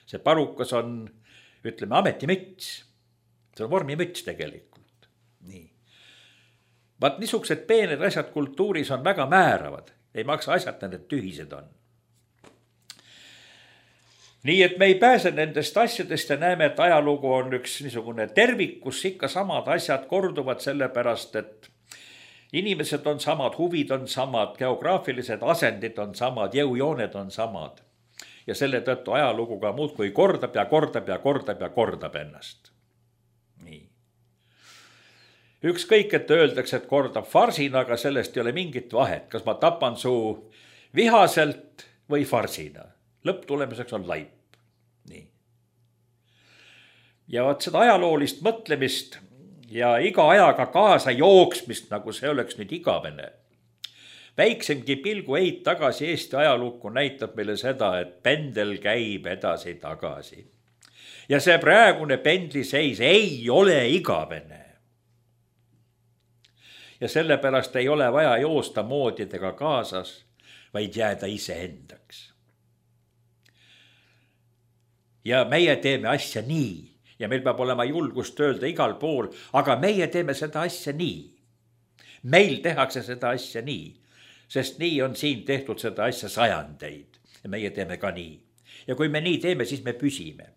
See parukas on, ütleme, ametimüts. See on vormimüts tegelikult. Nii. Vaat niisugused peened asjad kultuuris on väga määravad. Ei maksa asjad, need tühised on. Nii et me ei pääse nendest asjadest ja näeme, et ajalugu on üks niisugune tervik, kus ikka samad asjad korduvad sellepärast, et inimesed on samad, huvid on samad, geograafilised asendid on samad, jõujooned on samad. Ja selle tõttu ajaluguga muudkui kordab ja kordab ja kordab ja kordab ennast. Nii. Ükskõik, et öeldakse, et kordab farsina, aga sellest ei ole mingit vahet, kas ma tapan su vihaselt või farsina. Lõpptulemiseks on laip. Nii. Ja vaat seda ajaloolist mõtlemist ja iga ajaga kaasa jooksmist, nagu see oleks nüüd igavene. Väiksemgi pilgu eit tagasi Eesti ajalukku näitab meile seda, et pendel käib edasi tagasi. Ja see praegune pendliseis ei ole igavene. Ja sellepärast ei ole vaja joosta moodidega kaasas, vaid jääda ise endaks. Ja meie teeme asja nii ja meil peab olema julgust öelda igal pool, aga meie teeme seda asja nii. Meil tehakse seda asja nii, sest nii on siin tehtud seda asja sajandeid ja meie teeme ka nii. Ja kui me nii teeme, siis me püsime.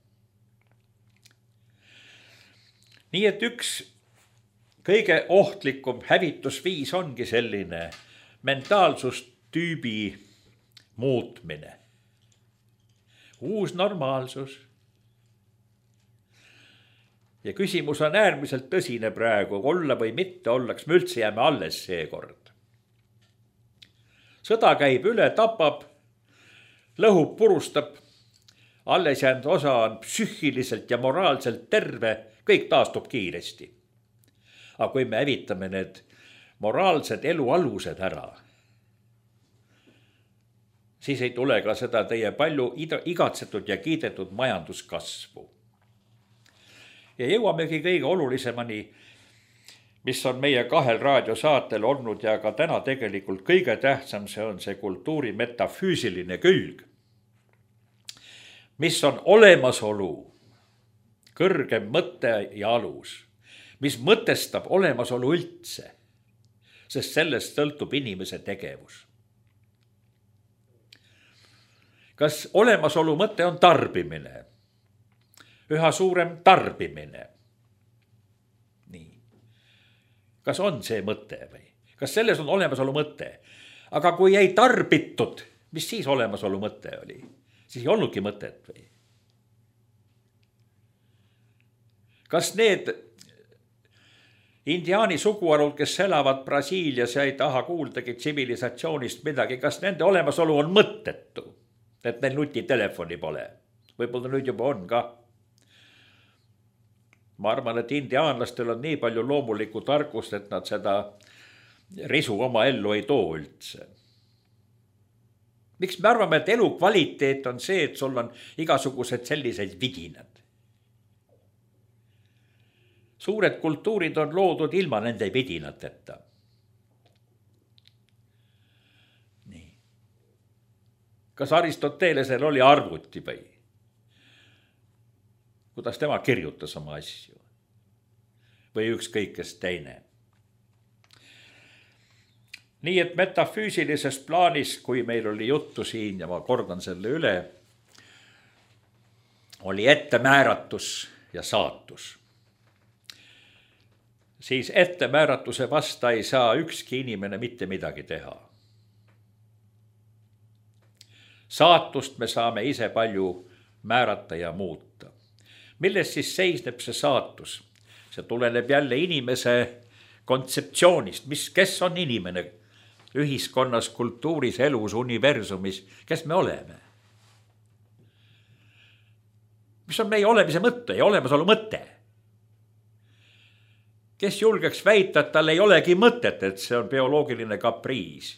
Nii et üks kõige ohtlikum hävitusviis ongi selline mentaalsustüübi muutmine. Uus normaalsus. Ja küsimus on äärmiselt tõsine praegu, olla või mitte ollaks, me üldse jääme alles seekord. Sõda käib üle, tapab, lõhub, purustab, alles jäänud osa on psüühiliselt ja moraalselt terve, kõik taastub kiiresti. Aga kui me hävitame need moraalsed elu alused ära, siis ei tule ka seda teie palju igatsetud ja kiidetud majanduskasvu. Ja jõuamegi kõige olulisemani, mis on meie kahel raadiosaatel olnud ja ka täna tegelikult kõige tähtsam, see on see kultuuri metafüüsiline külg, mis on olemasolu, kõrgem mõte ja alus, mis mõtestab olemasolu üldse, sest sellest sõltub inimese tegevus. Kas olemasolu mõte on tarbimine? Üha suurem tarbimine. Nii. Kas on see mõte või? Kas selles on olemasolu mõte? Aga kui ei tarbitud, mis siis olemasolu mõte oli? Siis ei olnudki mõtet või? Kas need indiaani suguharud, kes elavad Brasiilias ja ei taha kuuldagi tsivilisatsioonist midagi, kas nende olemasolu on mõttetu? Et neil nutitelefoni pole. Võib-olla nüüd juba on ka. Ma arvan, et indiaanlastel on nii palju loomulikku tarkust, et nad seda risu oma ellu ei too üldse. Miks me arvame, et elu kvaliteet on see, et sul on igasugused sellised vidinad? Suured kultuurid on loodud ilma nende vidinateta. Kas Aristotelesel oli arvuti või? Kuidas tema kirjutas oma asju? Või ükskõik kes teine? Nii et metafüüsilises plaanis, kui meil oli juttu siin ja ma kordan selle üle, oli ettemääratus ja saatus. Siis ettemääratuse vasta ei saa ükski inimene mitte midagi teha. Saatust me saame ise palju määrata ja muuta. Milles siis seisneb see saatus? See tuleneb jälle inimese kontseptsioonist, mis, kes on inimene ühiskonnas, kultuuris, elus, universumis, kes me oleme? Mis on meie olemise mõte ja olemasolu mõte? Kes julgeks väita, et tal ei olegi mõtet, et see on bioloogiline kapriis?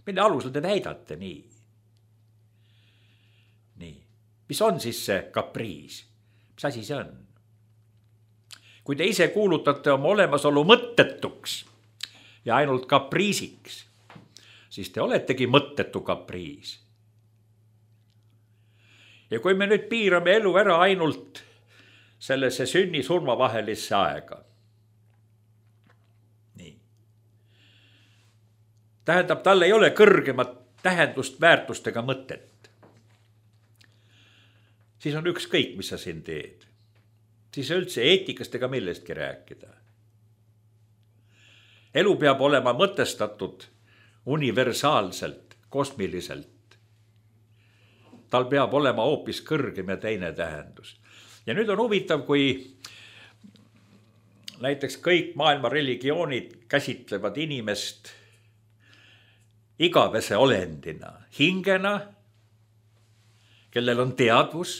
Mille alusel te väidate nii? Nii. Mis on siis see kapriis? Mis asi see on? Kui te ise kuulutate oma olemasolu mõttetuks ja ainult kapriisiks, siis te oletegi mõttetu kapriis. Ja kui me nüüd piirame elu ära ainult sellesse sünni-surma vahelisse aega, nii. Tähendab, tal ei ole kõrgemat tähendust, väärtust ega mõtet. Siis on ükskõik, mis sa siin teed. Siis üldse eetikast ega millestki rääkida. Elu peab olema mõtestatud universaalselt, kosmiliselt. Tal peab olema hoopis kõrgem ja teine tähendus. Ja nüüd on huvitav, kui näiteks kõik maailma religioonid käsitlevad inimest igavese olendina, hingena, kellel on teadvus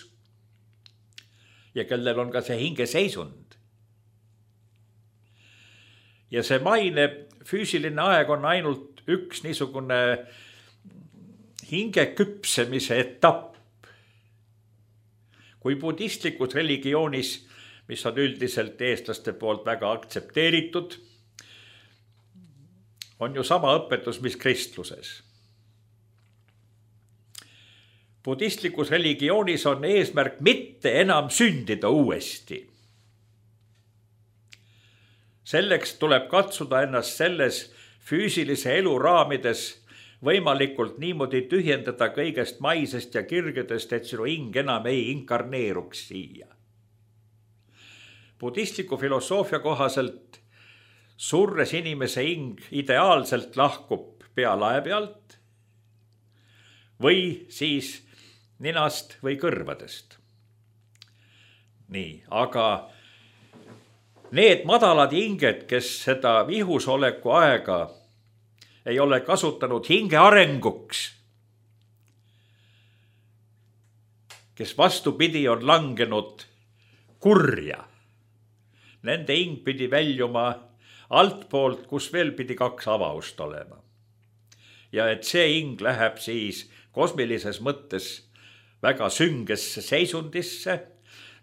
ja kellel on ka see hingeseisund. Ja see maine füüsiline aeg on ainult üks niisugune hinge küpsemise etapp. Kui budistlikus religioonis, mis on üldiselt eestlaste poolt väga aktsepteeritud, on ju sama õpetus, mis kristluses. Budistlikus religioonis on eesmärk mitte enam sündida uuesti. Selleks tuleb katsuda ennast selles füüsilise elu raamides võimalikult niimoodi tühjendada kõigest maisest ja kirgedest, et sinu hing enam ei inkarneeruks siia. Budistliku filosoofia kohaselt surres inimese hing ideaalselt lahkub pealae pealt või siis ninast või kõrvadest. Nii, aga need madalad hinged, kes seda vihusoleku aega ei ole kasutanud hinge arenguks, kes vastupidi on langenud kurja, nende hing pidi väljuma altpoolt, kus veel pidi kaks avaust olema. Ja et see hing läheb siis kosmilises mõttes väga süngesse seisundisse,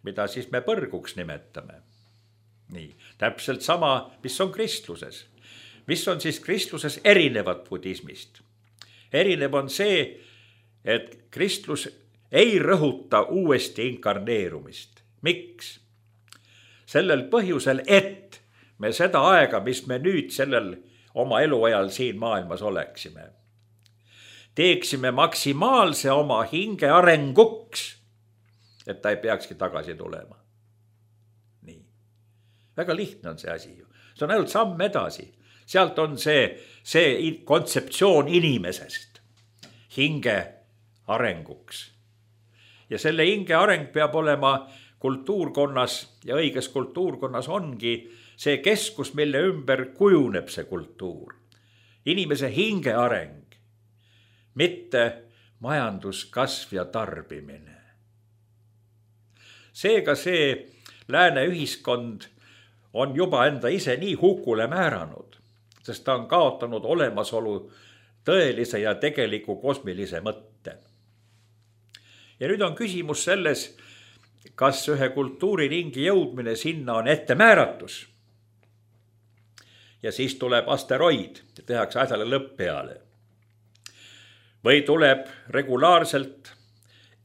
mida siis me põrguks nimetame. Nii, täpselt sama, mis on kristluses. Mis on siis kristluses erinevat budismist? Erinev on see, et kristlus ei rõhuta uuesti inkarneerumist. Miks? Sellel põhjusel, et me seda aega, mis me nüüd sellel oma eluajal siin maailmas oleksime, teeksime maksimaalse oma hinge arenguks, et ta ei peakski tagasi tulema. Nii. Väga lihtne on see asi ju. See on ainult samm edasi. Sealt on see, see kontseptsioon inimesest hinge arenguks. Ja selle hinge areng peab olema kultuurkonnas ja õiges kultuurkonnas ongi see keskus, mille ümber kujuneb see kultuur. Inimese hinge areng, mitte majanduskasv ja tarbimine. Seega see lääne ühiskond on juba enda ise nii hukule määranud, sest ta on kaotanud olemasolu tõelise ja tegeliku kosmilise mõtte. Ja nüüd on küsimus selles, kas ühe kultuuriringi jõudmine sinna on ettemääratus. Ja siis tuleb asteroid ja tehakse asjale lõpp peale. Või tuleb regulaarselt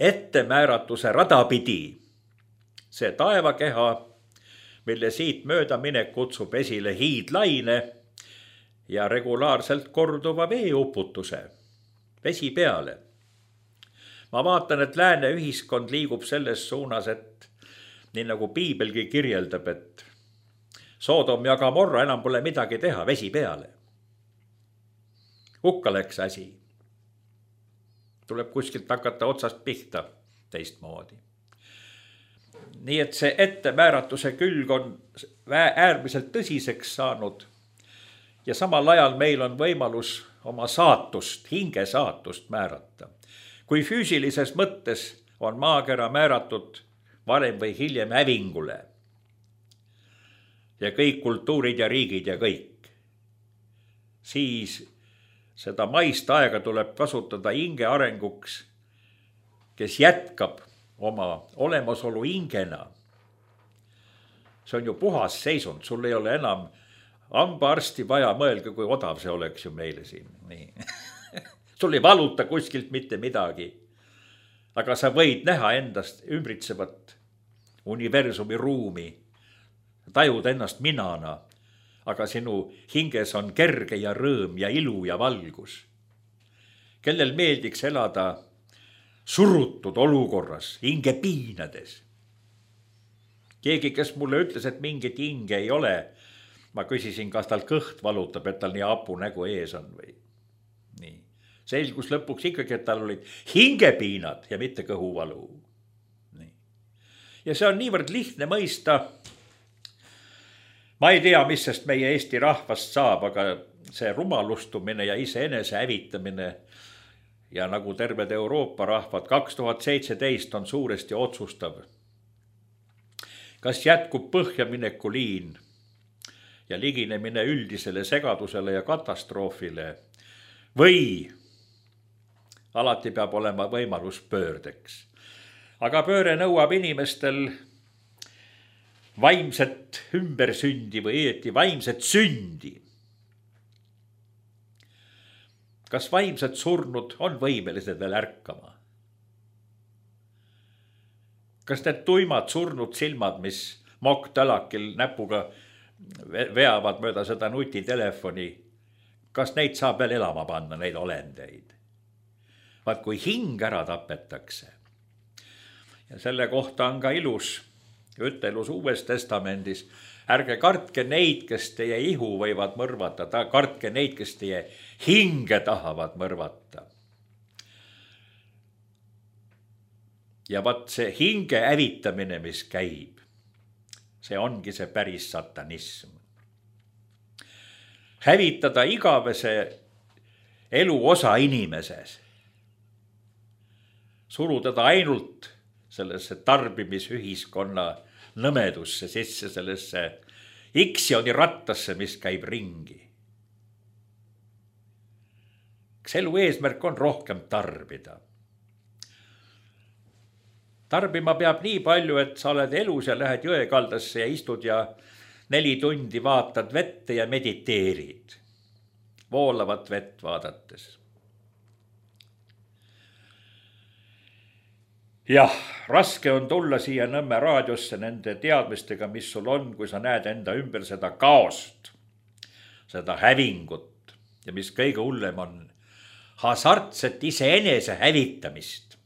ettemääratuse radapidi see taevakeha, mille siit möödaminek kutsub esile hiidlaine ja regulaarselt korduva veeuputuse, vesi peale. ma vaatan, et lääne ühiskond liigub selles suunas, et nii nagu piibelgi kirjeldab, et Soodom ja Gomorra enam pole midagi teha, vesi peale. Hukka läks asi. Tuleb kuskilt hakata otsast pihta teistmoodi. Nii et see ettemääratuse külg on äärmiselt tõsiseks saanud ja samal ajal meil on võimalus oma saatust, hinge saatust määrata. Kui füüsilises mõttes on maakera määratud varem või hiljem hävingule ja kõik kultuurid ja riigid ja kõik, siis seda maist aega tuleb kasutada hinge arenguks, kes jätkab oma olemasolu hingena. See on ju puhas seisund, sul ei ole enam hambaarsti vaja, mõelge, kui odav see oleks ju meile siin. Nii. Sul ei valuta kuskilt mitte midagi, aga sa võid näha endast ümbritsevat universumi ruumi, tajud ennast minana, aga sinu hinges on kerge ja rõõm ja ilu ja valgus. Kellel meeldiks elada surutud olukorras, hinge piinades. Keegi, kes mulle ütles, et mingit hinge ei ole, ma küsisin, kas tal kõht valutab, et tal nii apu nägu ees on või. Nii. Selgus lõpuks ikkagi, et tal olid hingepiinad ja mitte kõhuvalu. Nii. Ja see on niivõrd lihtne mõista. Ma ei tea, mis sest meie Eesti rahvast saab, aga see rumalustumine ja iseenese hävitamine ja nagu terved Euroopa rahvad kaks tuhat seitseteist on suuresti otsustav. Kas jätkub põhjamineku liin ja liginemine üldisele segadusele ja katastroofile või alati peab olema võimalus pöördeks. Aga pööre nõuab inimestel vaimset ümbersündi või õieti vaimset sündi. Kas vaimsed surnud on võimelised veel ärkama? Kas need tuimad surnud silmad, mis mokk-tälakil näpuga veavad mööda seda nutitelefoni, kas neid saab veel elama panna, neid olendeid? Vaat kui hing ära tapetakse. Ja selle kohta on ka ilus ütelus Uues Testamendis. Ärge kartke neid, kes teie ihu võivad mõrvata, kartke neid, kes teie hinge tahavad mõrvata. Ja vaat see hinge hävitamine, mis käib, see ongi see päris satanism. Hävitada igavese elu osa inimeses. Surutada ainult sellesse tarbimisühiskonna nõmedusse sisse, sellesse iksioni rattasse, mis käib ringi. Kas elu eesmärk on rohkem tarbida? Tarbima peab nii palju, et sa oled elus ja lähed jõekaldasse ja istud ja neli tundi vaatad vette ja mediteerid. Voolavat vett vaadates. Jah, raske on tulla siia Nõmme raadiosse nende teadmistega, mis sul on, kui sa näed enda ümber seda kaost, seda hävingut ja mis kõige hullem on hasartset iseenese hävitamist.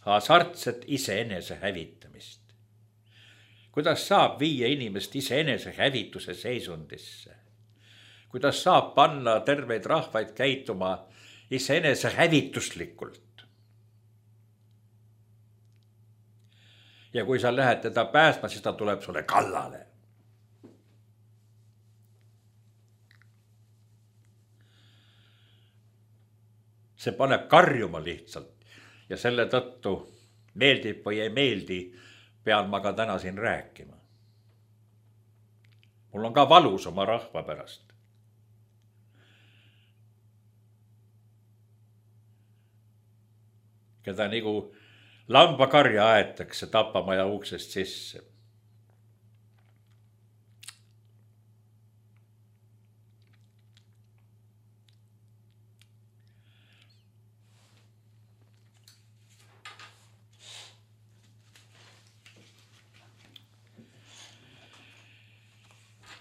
Hasartset iseenese hävitamist. Kuidas saab viia inimest iseenese hävituse seisundisse? Kuidas saab panna terveid rahvaid käituma iseenese hävituslikult? Ja kui sa lähed teda päästma, siis ta tuleb sulle kallale. See paneb karjuma lihtsalt. Ja selle tõttu meeldib või ei meeldi, pean ma ka täna siin rääkima. Mul on ka valus oma rahva pärast. Keda nagu lambakarja aetakse tapamaja uksest sisse.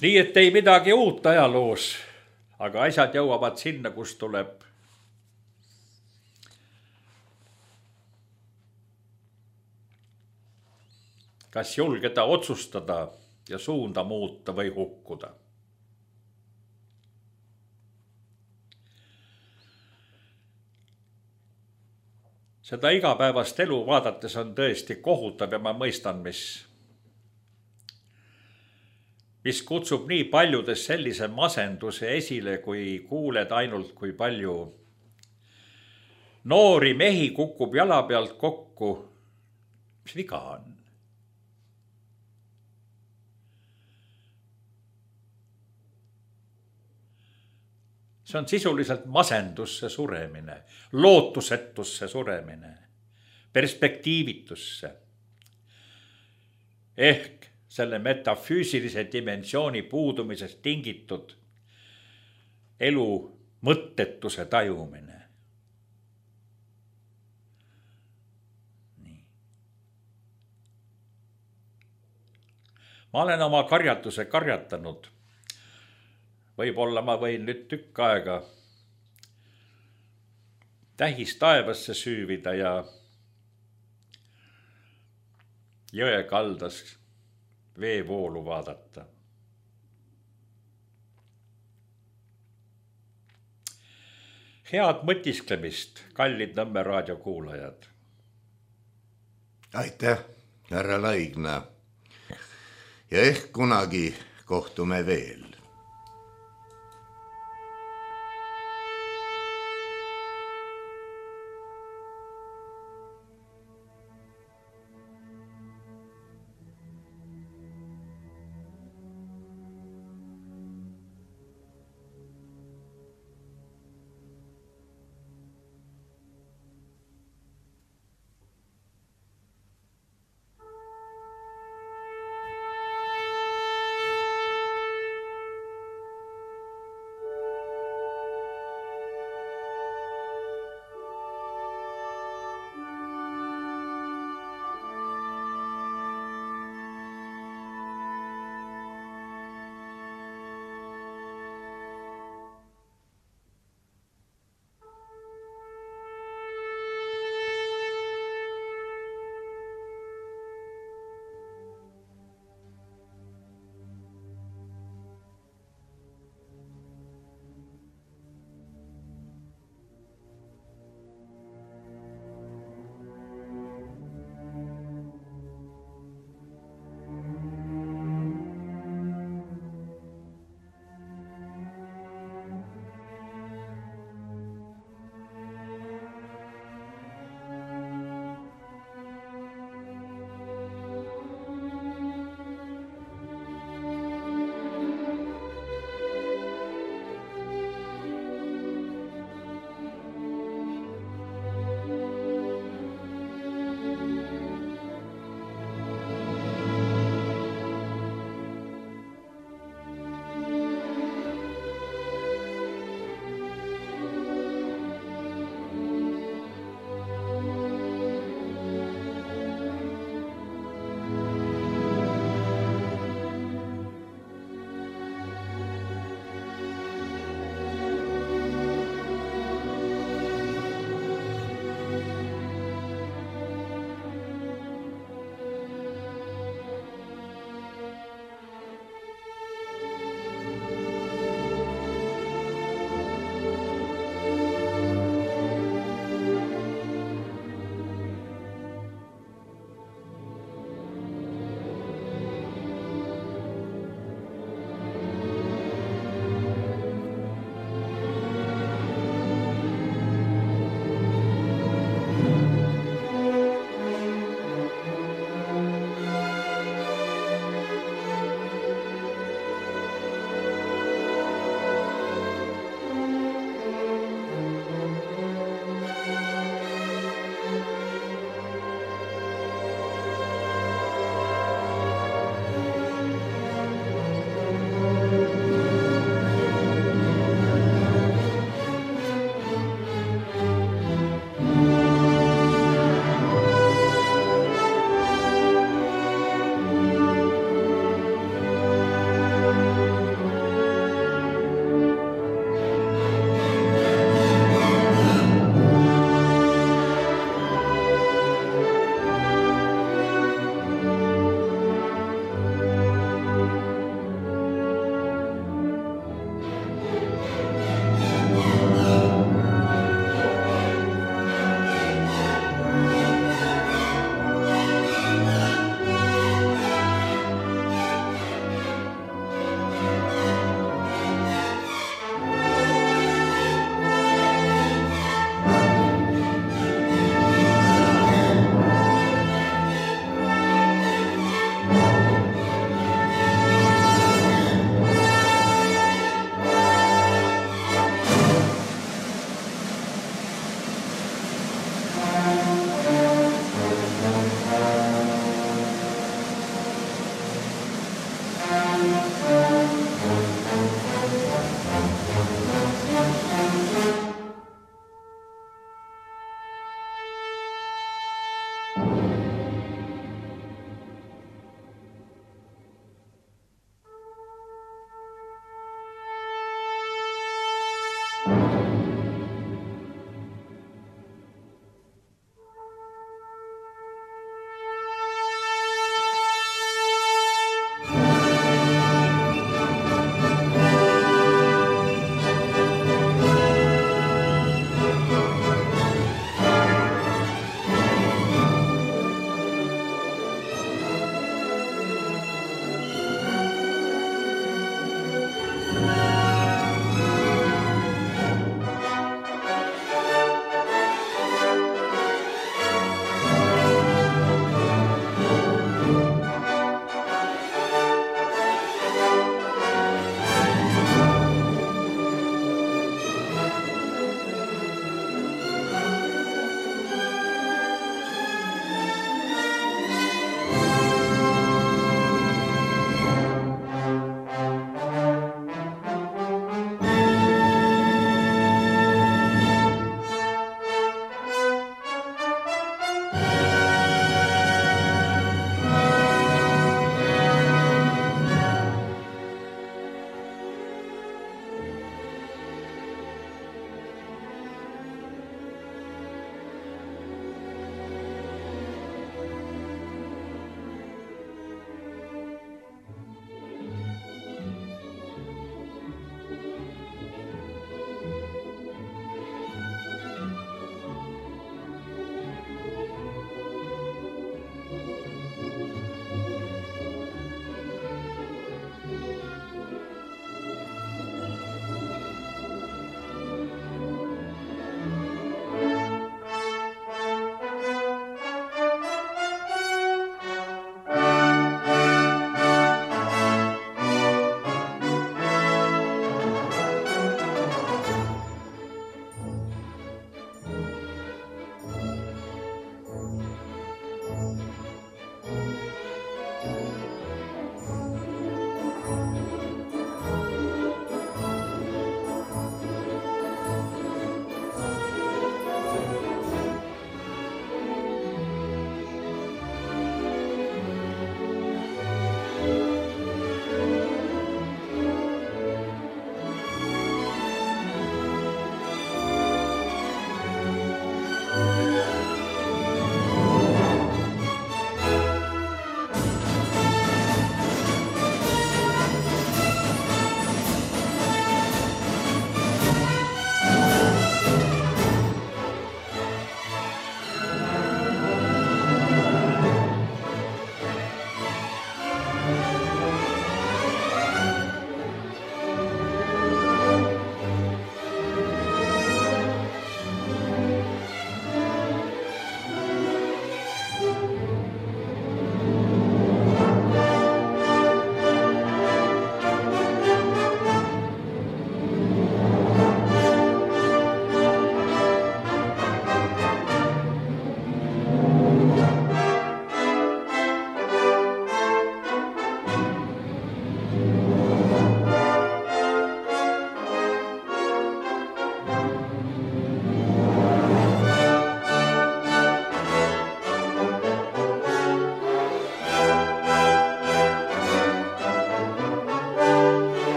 Nii et ei midagi uut ajaloos, aga asjad jõuavad sinna, kus tuleb kas julgeda otsustada ja suunda muuta või hukkuda. Seda igapäevast elu vaadates on tõesti kohutav ja ma mõistan, mis, mis kutsub nii paljudes sellise masenduse esile, kui kuuled ainult, kui palju noori mehi kukub jala pealt kokku. Mis viga on? See on sisuliselt masendusse suremine, lootusetusse suremine, perspektiivitusse. Ehk selle metafüüsilise dimensiooni puudumisest tingitud elu mõttetuse tajumine. Nii. Ma olen oma karjatuse karjatanud. Võib-olla ma võin nüüd tükk aega tähis taevasse süüvida ja jõe kaldas veevoolu vaadata. Head mõtisklemist, kallid Nõmme raadio kuulajad. Aitäh, härra Laigna. Ja ehk kunagi kohtume veel.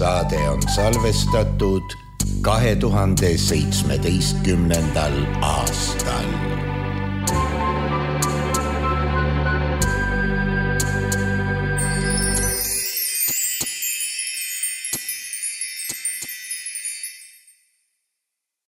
saade on salvestatud kahe tuhande seitsmeteistkümnendal aastal.